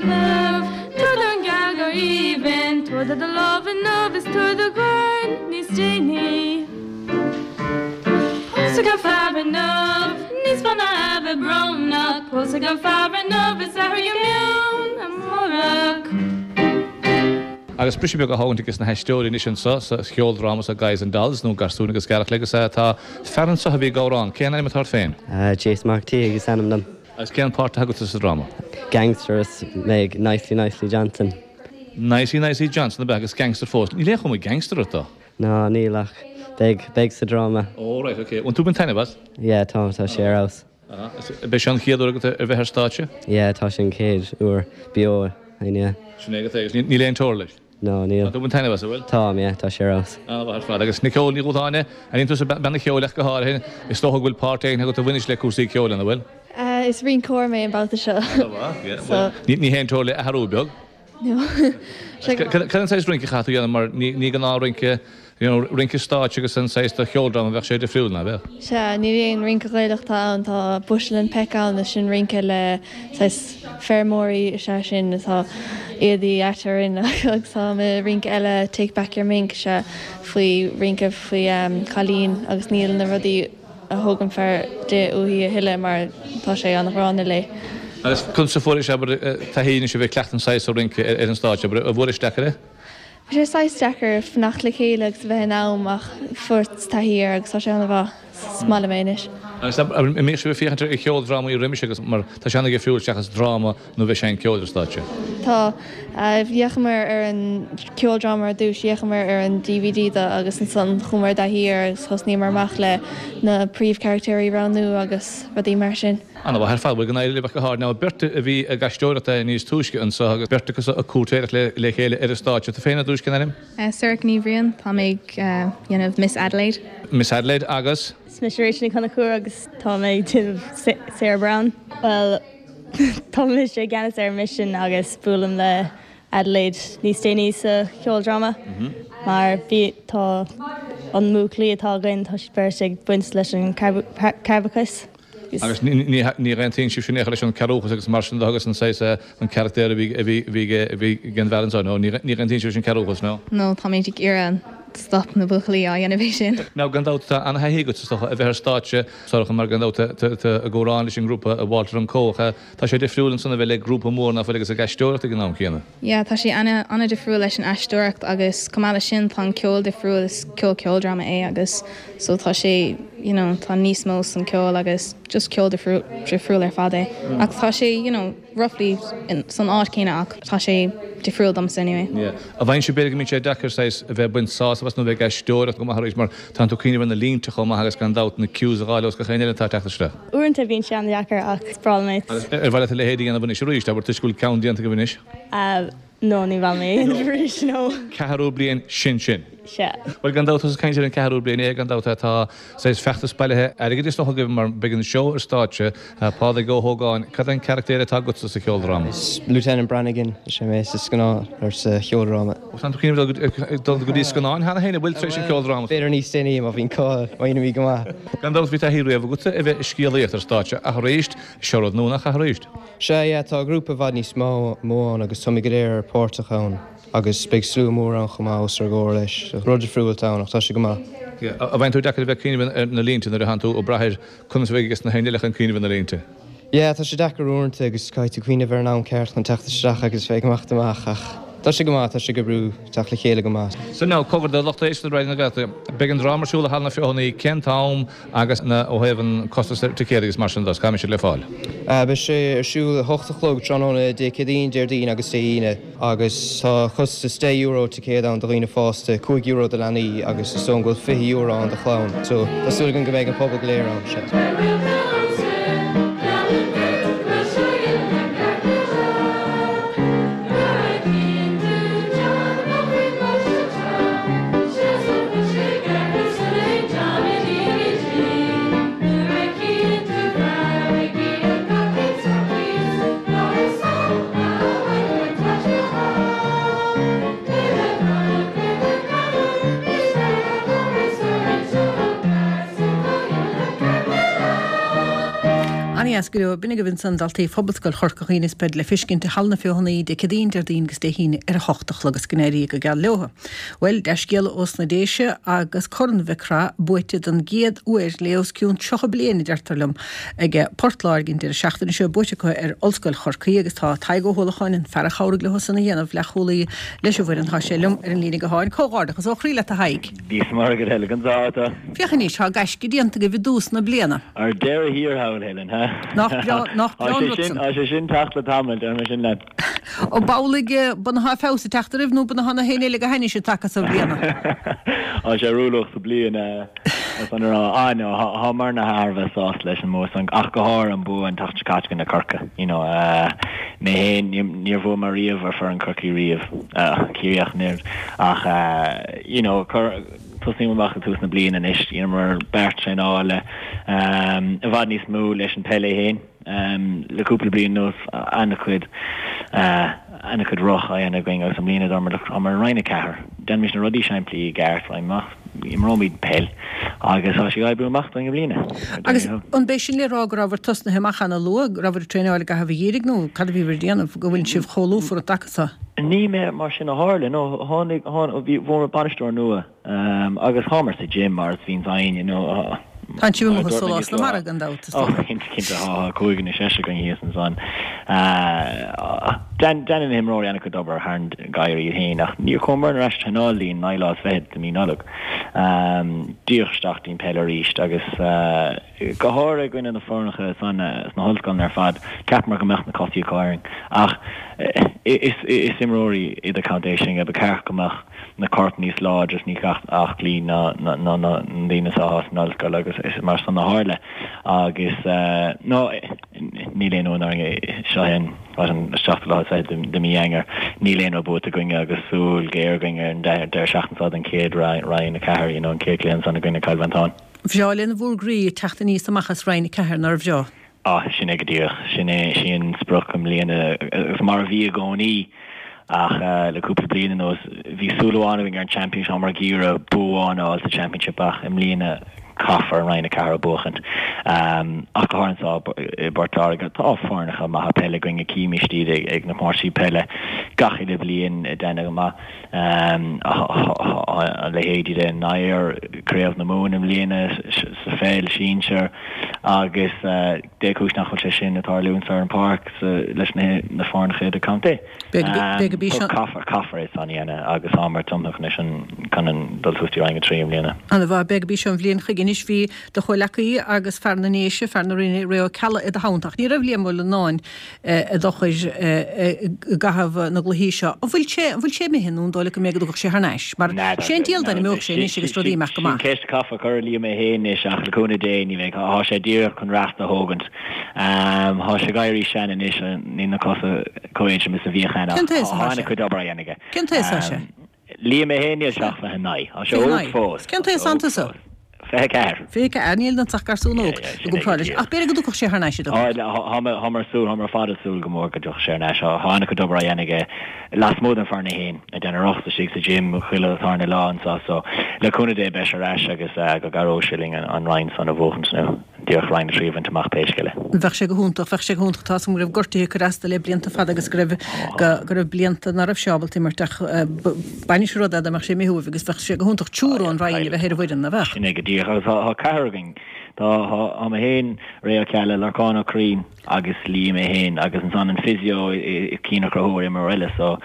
[SPEAKER 10] Love, Tabhair don gheal go haoibhinn,
[SPEAKER 11] Tabhair do do lámh inniu is tabhair do dhorn níos déanaí.
[SPEAKER 10] Pósfaidh an fear inniu, níos fearr ná a bheith brónach, Pósfaidh an fear inniu is athraigh do mheon amárach.
[SPEAKER 8] Agus briseadh beag á thógaint aige sna haisteoirí anois anseo sa cheoldráma sa Guys and Dolls nó Garsúin agus Gearrchailí agus tá fear anseo a bhí ag amhrán. Cén ainm atá ort féin?
[SPEAKER 12] Jason Mac Tígh is ainm dom.
[SPEAKER 8] Agus cén páirt atá agat sa dráma?
[SPEAKER 12] Gangster is mé Nicely Nicely Johnson.
[SPEAKER 8] Nicely Nicely Johnson ab ea agus gangster fós. Níl aon chuma gangster ort though.
[SPEAKER 12] Ná níl ach beidh beidh sa dráma.
[SPEAKER 8] Oh right, okay. Bhfuil tú ag baint taitneamh as?
[SPEAKER 12] Yeah, tá tá sé ar fheabhas.
[SPEAKER 8] Ab é seo an chéad uair agat ar bheith ar stáitse?
[SPEAKER 12] Yeah, tá sé an chéad uair beo yeah.
[SPEAKER 8] Sin é agat é agus níl aon teora leis?
[SPEAKER 12] No, níl.
[SPEAKER 8] Tá tú ag baint taitneamh as, an bhfuil?
[SPEAKER 12] Táim, yeah, tá sé ar fheabhas.
[SPEAKER 8] An-mhaith ar fad. Agus Nicole Ní Dhúshláine, an tusa bean an cheoil ach go háirithe, is dócha go bhfuil páirt éigin agat a bhaineas le cúrsaí ceoil an bhfuil?
[SPEAKER 13] Uh, is rinceoir mé an babhta seo.
[SPEAKER 8] So Ní ní haon teora le athrú beag?
[SPEAKER 13] No.
[SPEAKER 8] Cad an saghas rince atá tú a dhéanamh mar ní ní gnáthrince you know, rince stáitse agus an saghas do cheoldráma bheadh sé difriúil ná bheadh?
[SPEAKER 13] Sea, ní aon rince Gaelach atá ann, tá Bushel and Peck ann is sin rince le saghas feirmeoirí is ea sin atá éadaí ait orainn agus tá mo rince eile Take Back Your Mink sea faoi rince faoi um, cailín agus níl na rudaí a thóg an fear di uaithi a thuilleadh mar tá sé an-ghránna léi.
[SPEAKER 8] Agus conas a fuairis abair taithí anois a bheith ag cleachtadh an saghas rince ar an stáitse, abair, an bhfuairis deacair é?
[SPEAKER 13] Bhí sé saghas deacair fanacht le chéile agus a bheith in am ach fuaireas taithí air agus tá sé an-mhaith. Is maith liom é anois.
[SPEAKER 8] Agus an mbíodh sibh ag féachaint ar cheoldrámaí roimis agus mar tá sé an-difriúil seachas dráma nó bheith ag seinnt ceoil ar stáitse?
[SPEAKER 13] Tá d'fhéachamar ar an ceoldráma ar dtús, d'fhéachamar ar an DVD de agus ansan chuamar i dtaithí air agus thosnaíomar amach le na príomhcharactéirí a roghnú agus rudaí mar sin.
[SPEAKER 8] An-mhaith ar fad, bhuel go n-éirí libh ach go háirithe. Now beirt a bhí ag aisteoireacht níos túisce anseo agus beirt acu ag cúirtéireacht le le chéile ar an stáitse. Tú féin ar dtús, cén ainm?
[SPEAKER 10] Sorcha Ní Bhriain, tá mé ag dhéanamh Miss Adelaide.
[SPEAKER 8] Miss Adelaide agus?
[SPEAKER 11] Is mise Rachel Ní Chonchúir agus tá mé ag déanamh Sarah Brown. Well tá mise i gceannas ar mission agus buailim le Adelaide níos déanaí sa cheoldráma mar bhí tá an mbuachaillí atá againn tá siad beirt ag baint leis an cearrbhachas.
[SPEAKER 8] Agus ní aontaíonn sibh sin leis an cearrbhachas agus mar sin de agus an saghas an carachtar a bhí a bhí bhí a bhí ag an bhfear anseo, nó ní aontaíonn sibh leis an cearrbhachas, nó?
[SPEAKER 10] No, tá mé ag iarraidh stop na buachaillí á dhéanamh é sin.
[SPEAKER 8] Now gan dabht tá an-thaithí agat is dócha a bheith ar stáitse Sorcha mar gan dabht ag amhrán leis an ngrúpa Walter and Co. Tá sé difriúil ansan a bheith le grúpa mór nach bhfuil agus ag aisteoireacht ag an am céanna.
[SPEAKER 10] Yeah, tá sé ana ana difriúil leis an aisteoireacht agus chomh maith leis sin tá an ceol difriúil is ceol ceoldráma é agus so tá sé you know, tá níos mó san ceol agus just ceol difriúil difriúil ar fad é. Ach tá sé you know, roughly in, san áit céanna ach tá sé difriúil domsa anyway.
[SPEAKER 8] Yeah. A bhain sé b'fhéidir go mbíonn sé deacair saghas a bheith baint sásamh as nó bheith ag aisteoireacht go maith arís mar tá tú cuimhneamh ar na línte chomh maith agus gan dabht na cues a fháil os gach aon eile atá ag teacht isteach.
[SPEAKER 11] Uaireanta bíonn sé an-deacair ach is breá liom é.
[SPEAKER 8] Agus ar mhaith leat a leithéid a dhéanamh anois arís, abair toisc go bhfuil ceann déanta agaibh anois?
[SPEAKER 11] Uh, no, ní bheidh mé arís, no.
[SPEAKER 8] Ceathrú bliain sin sin.
[SPEAKER 11] Sea.
[SPEAKER 8] Bhuel gan dabht tusa ag caint ar an ceathrú bliain é gan dabht tá saghas feachtas bailithe airgid is dócha agaibh mar beidh an seó ar stáitse. Pádraig Ó hÓgáin, cad é an carachtar atá agatsa sa cheoldráma?
[SPEAKER 14] Is Lieutenant Brannigan is ea mé sa scannán or sa cheoldráma.
[SPEAKER 8] Tá tú ag dul go dtí scannáin cheana féin, an bhfuil tar éis an cheoldráma?
[SPEAKER 14] B'fhéidir níos déanaí má bhíonn cáil, má dhéanaimid go maith.
[SPEAKER 8] Gan dabht bhí taithí riamh agatsa a bheith ag scéalaíocht ar stáitse ach arís, seo rud nua nach ea arís?
[SPEAKER 14] Sea, yeah, tá grúpa i bhfad níos mó ann agus táimid go léir páirteach ann. Agus beidh slua mór ann chomh maith os ár gcomhair leis. Rud difriúil atá ann ach tá sé go maith.
[SPEAKER 8] An bhfaigheann tú deacair a bheith ag cuimhneamh ar na línte nuair atánn tú ag brath ar conas a bheidh ages na héinne eile chun cuimhneamh ar na línte?
[SPEAKER 14] Yeah, tá sé deacair uaireanta agus caithfidh tú cuimhneamh ar an am ceart chun teacht isteach agus bheith ag imeacht amach ach tá sé go maith, tá sé ag oibriú, teacht le chéile go maith.
[SPEAKER 8] So now, cogar do lucht éisteachta Raidió na Gaeltachta, beidh an dráma ar siúl i Halla na Feothanaí, cén t-am agus na, ó thaobh an costas ar ticéid agus mar sin de, cá mbeidh siad le fáil?
[SPEAKER 14] Beidh sé ar siúl a hocht a chlog tráthnóna Dé Céadaoin, Déardaoin agus Dé hAoine agus tá costas deich euro ticéad ann do dhaoine fásta, cúig euro do leanaí agus is dóigh go bhfuil fiche euro ann do chlann. So tá súil againn go mbeidh an pobal go léir ann.
[SPEAKER 1] Ana-dheas go leor. B'in agaibh ansan daltaí Phobalscoil Chorca Dhuibhne is beid le feiscint i Halla na Feothanaí Dé Céadaoin, Déardaoin agus Dé hAoine ar a hocht a chlog is go n-éirí go geal leotha. Bhuel, dea-scéala ós na Déise agus Corn Mhic Craith buaite don gcéad uair le os cionn tríocha bliain, a deirtear liom, ag Port Láirge an deireadh seachtaine seo, buaite acu ar Ollscoil Chorcaí agus tá Tadhg Ó hUallacháin, an fear a chabhraigh leo san a dhéanamh, leathchúlaí leis an bhfoireann, tá sé liom ar an líne gutháin. Comhghairdeachas ó chroí leat a Thaidhg.
[SPEAKER 15] Dia 's Muire duit Helen, conas atá tú.
[SPEAKER 1] Féach anois, tá gaisce déanta agaibh i dtús na bliana.
[SPEAKER 15] Ar deireadh thiar thall, Helen, ha?
[SPEAKER 1] Nach breá, nach breá an rud san.
[SPEAKER 15] Tá sé sin teacht le tamall, déarfaidh mé sin leat.
[SPEAKER 1] Ó b'amhlaidh b'ionadh feabhas ag teacht oraibh nó b'ionadh na héinne eile go hainnis ag taca sa bhliana.
[SPEAKER 15] Tá sé rúlach sa bliain, is an rá. Ah no, thámar thar a bheith sásta leis an mbua san, ach go háirithe an bua an tseachtain seo caite i gcoinne Corcaigh. You know, mé féin, níor bhuaigh mé riamh ar foireann Corcaigh riamh, Ciarraí ach an oiread, ach you know, Tosaím amach ag tús na bliana anois, dheineamar beart traenála i bhfad níos mó leis an peil é féin. Le cúpla bliain anuas, an-chuid, an-chuid roth á dhéanamh againn agus i mbliana dúramar look, táimid i Roinn a Ceathair, déanaimis na rudaí simplí i gceart, raghaidh amach, imreoimid peil agus tá sé ag oibriú amach dúinn i mbliana.
[SPEAKER 1] Agus an b'é sin le rá go rabhabhair tosnaithe amach ana-luath, go rabhabhair ag traenáil i gcaitheamh an gheimhridh nó cad a bhíobhair ag déanamh go bhfuil sibh chomh lúfar an dtaca so?
[SPEAKER 15] Ní mar sin a tharla, no, tháinig, bhí, bhfuaireamar bainisteoir nua agus thámar sa gym mar is bhíonns againn, you know.
[SPEAKER 1] Tá sibh amuigh i sólás na mara gan dabht, is dócha.
[SPEAKER 15] Oh, cinnte, cinnte, tá cúigear nó seisear againn thíos ansan. Déanann na himreoirí an-chuid obair thar an ngeimhreadh iad féin ach níor chuamar ar ais traenáil go dtí an naoú lá is fichead de mí Nollag. Díreach isteach dtí'n peil arís agus. Go háirithe i gcoinne na foirneacha san sna hollscoileanna ar fad, cheapamar go mbeadh na cosaí acu orainn. Ach is imreoirí idirchontae sinne, ba cheart go mbeadh na coirp níos láidre is níos aclaí ná na daoine atá san ollscoil agus is mar san a tharla. Agus no, níl aon uain orainn, seo é an seachtú lá is fiche de mí Eanáir, níl aon rud buaite againne agus súil ghéar againn ar an deireadh seachtaine seo don chéad Roinn a ceathair, you know, an chéad chluiche ansan i gcoinne Cill Mhantáin.
[SPEAKER 1] Bhreá lena bhur gcroí ag teacht aníos amach as Roinn a Ceathair, nár bhreá?
[SPEAKER 15] Ah, sin é go díreach. Sin é, sin an sprioc i mbliana, agus mar a bhí i gcónaí, ach le cúpla bliain anuas, bhí súil amháin againn ar an Championship, táimid ag iarraidh bua amháin a fháil sa Championship ach i mbliana caithfear an Roinn a Ceathair a bhuachaint. Ach go háirithe anseo i bPort Láirge, tá foirneacha maithe peile againn, címid iad ag na comórtaisí peile gach uile bhliain ag déanamh go maith. A leithéidí de Nair, Craobh na Mumhan i mbliana sa pheil sinsir agus dé cúis nach bhfuil sé sin ag tarlúint ar an pháirc leis na foirneacha idirchontae. Caithfear, caithfear é san a dhéanamh agus táimid tiomnaithe chun é sin chun an dul suas dtí Roinn a trí i mbliana.
[SPEAKER 1] Ana mhaith, beidh go dtí seo an bhliain chuige anois. Bhí do chomhleacaí agus fear na nDéise, fear na Rinne, Ray Ó Ceallaigh i do theannta ach ní raibh Liam Ó Lionáin i d'fhochair i gcaitheamh na gcluichí seo. An bhfuil sé, an bhfuil sé imithe nó an dóigh leat go mbeidh go dtiocfadh sé thar n-ais? Mar sé an diabhal duine imeodh sé anois agus rudaí imeacht go
[SPEAKER 15] maith. Sin ceist a chaithfeá a chur ar Liam é féin anois ach le cúnamh Dé ní bheidh. Tá sé díreach chun rest a thógaint. Tá sé ag éirí sean anois, níl na cosa chomh éadrom is a bhíodh cheana.
[SPEAKER 1] Cén t-aois
[SPEAKER 15] atá
[SPEAKER 1] sé?
[SPEAKER 15] Tá an-chuid obair á dhéanamh aige.
[SPEAKER 1] Cén t-aois atá sé?
[SPEAKER 15] Liam é féin níl sé ach fiche naoi. Tá sé óg fós.
[SPEAKER 1] Cén t-aos atá tusa?
[SPEAKER 15] Fiche ceathair.
[SPEAKER 1] Fiche ceathair, níl ionat ach garsún óg i gcomparáid leis. Ach b'fhéidir go dtiocfadh sé thar n-ais i
[SPEAKER 15] dtosach. Táimar ag súil, táimar ar fad ag súil go mór go dtiocfaidh sé thar n-ais. Tá an-chuid obair á dhéanamh aige lasmuigh den foireann é féin, ag déanamh rothaíochta istigh sa gym chuile tarna lá anseo so le cúnamh Dé beidh sé ar ais agus go gcabhróidh sé linn an roinn san a bhuachaint nó díreach Roinn a trí a bhaint amach pé scéal é.
[SPEAKER 1] Bheadh sé go hiontach, bheadh sé go hiontach. Tá a fhios agam go raibh gortuithe ag cur as dó le blianta fada agus go raibh, go raibh blianta ná raibh sé ábalta imirt ach baineann sé rud é dá mbeadh sé imithe uaibh agus bheadh sé go hiontach triúr ón Rinn a bheith ar an bhfoireann, ná bheadh?
[SPEAKER 15] Sin é go díreach agus tá ceathrar againn. Tá, tá mé féin, Ray Ó Ceallaigh, Lorcán Ó Curraoin agus Liam é féin agus ansan an physio Cian Ó Conchúir, imreoir eile so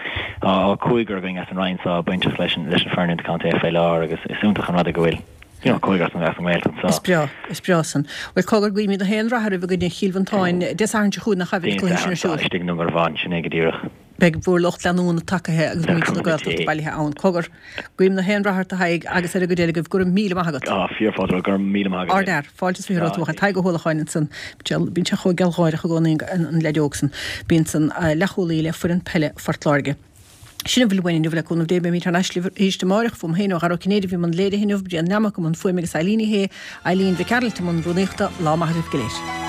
[SPEAKER 15] tá cúigear againn as an Rinn so bainteach leis an leis an foireann idirchontae fé láthair agus is iontach an rud é go bhfuil you know cúigear as an as an nGaeltacht so.
[SPEAKER 1] Is breá, is breá san. Bhuel cogar guímid gach aon rath oraibh i gcoinne Chill Mhantáin Dé Sathairn seo chugainn nach ea a bheidh
[SPEAKER 15] Dé
[SPEAKER 1] an cluiche sin
[SPEAKER 15] Sathairn
[SPEAKER 1] ar
[SPEAKER 15] seo
[SPEAKER 1] siúl.
[SPEAKER 15] istigh i nDún Garbhán, sin é go díreach.
[SPEAKER 1] Beidh bhur lucht leanúna tacaithe agus
[SPEAKER 15] Le
[SPEAKER 1] muintir na
[SPEAKER 15] cúnamh
[SPEAKER 1] Gaeltachta
[SPEAKER 15] Dé.
[SPEAKER 1] bailithe ann. Cogar, guím gach aon rath ort a Thaidhg agus ar an gcuid eile agaibh. Go raibh míle maith agat.
[SPEAKER 15] Á, fíorfháilte, go raibh míle maith agat.
[SPEAKER 1] Ardfhear, fáilte is fiche romhat uaidh Tadhg Ó hUallacháin ansan. Bíonn sé chomh gealgháireach i gcónaí an leaid óg san. Bíonn san leathchúlaí le foireann peile Phort Láirge. Sin a bhfuil uainn inniu le cúnamh Dé beimid thar n-ais libh arís amáireach. Fúm féin ó Dhara Ó Cinnéide a bhí i mbun léirithe inniu, Brian Nammock i mbun fuaime agus Eileen Ní Shé, Eileen Mhic Gearailt i mbun rúnaíochta. Lá maith agaibh go léir.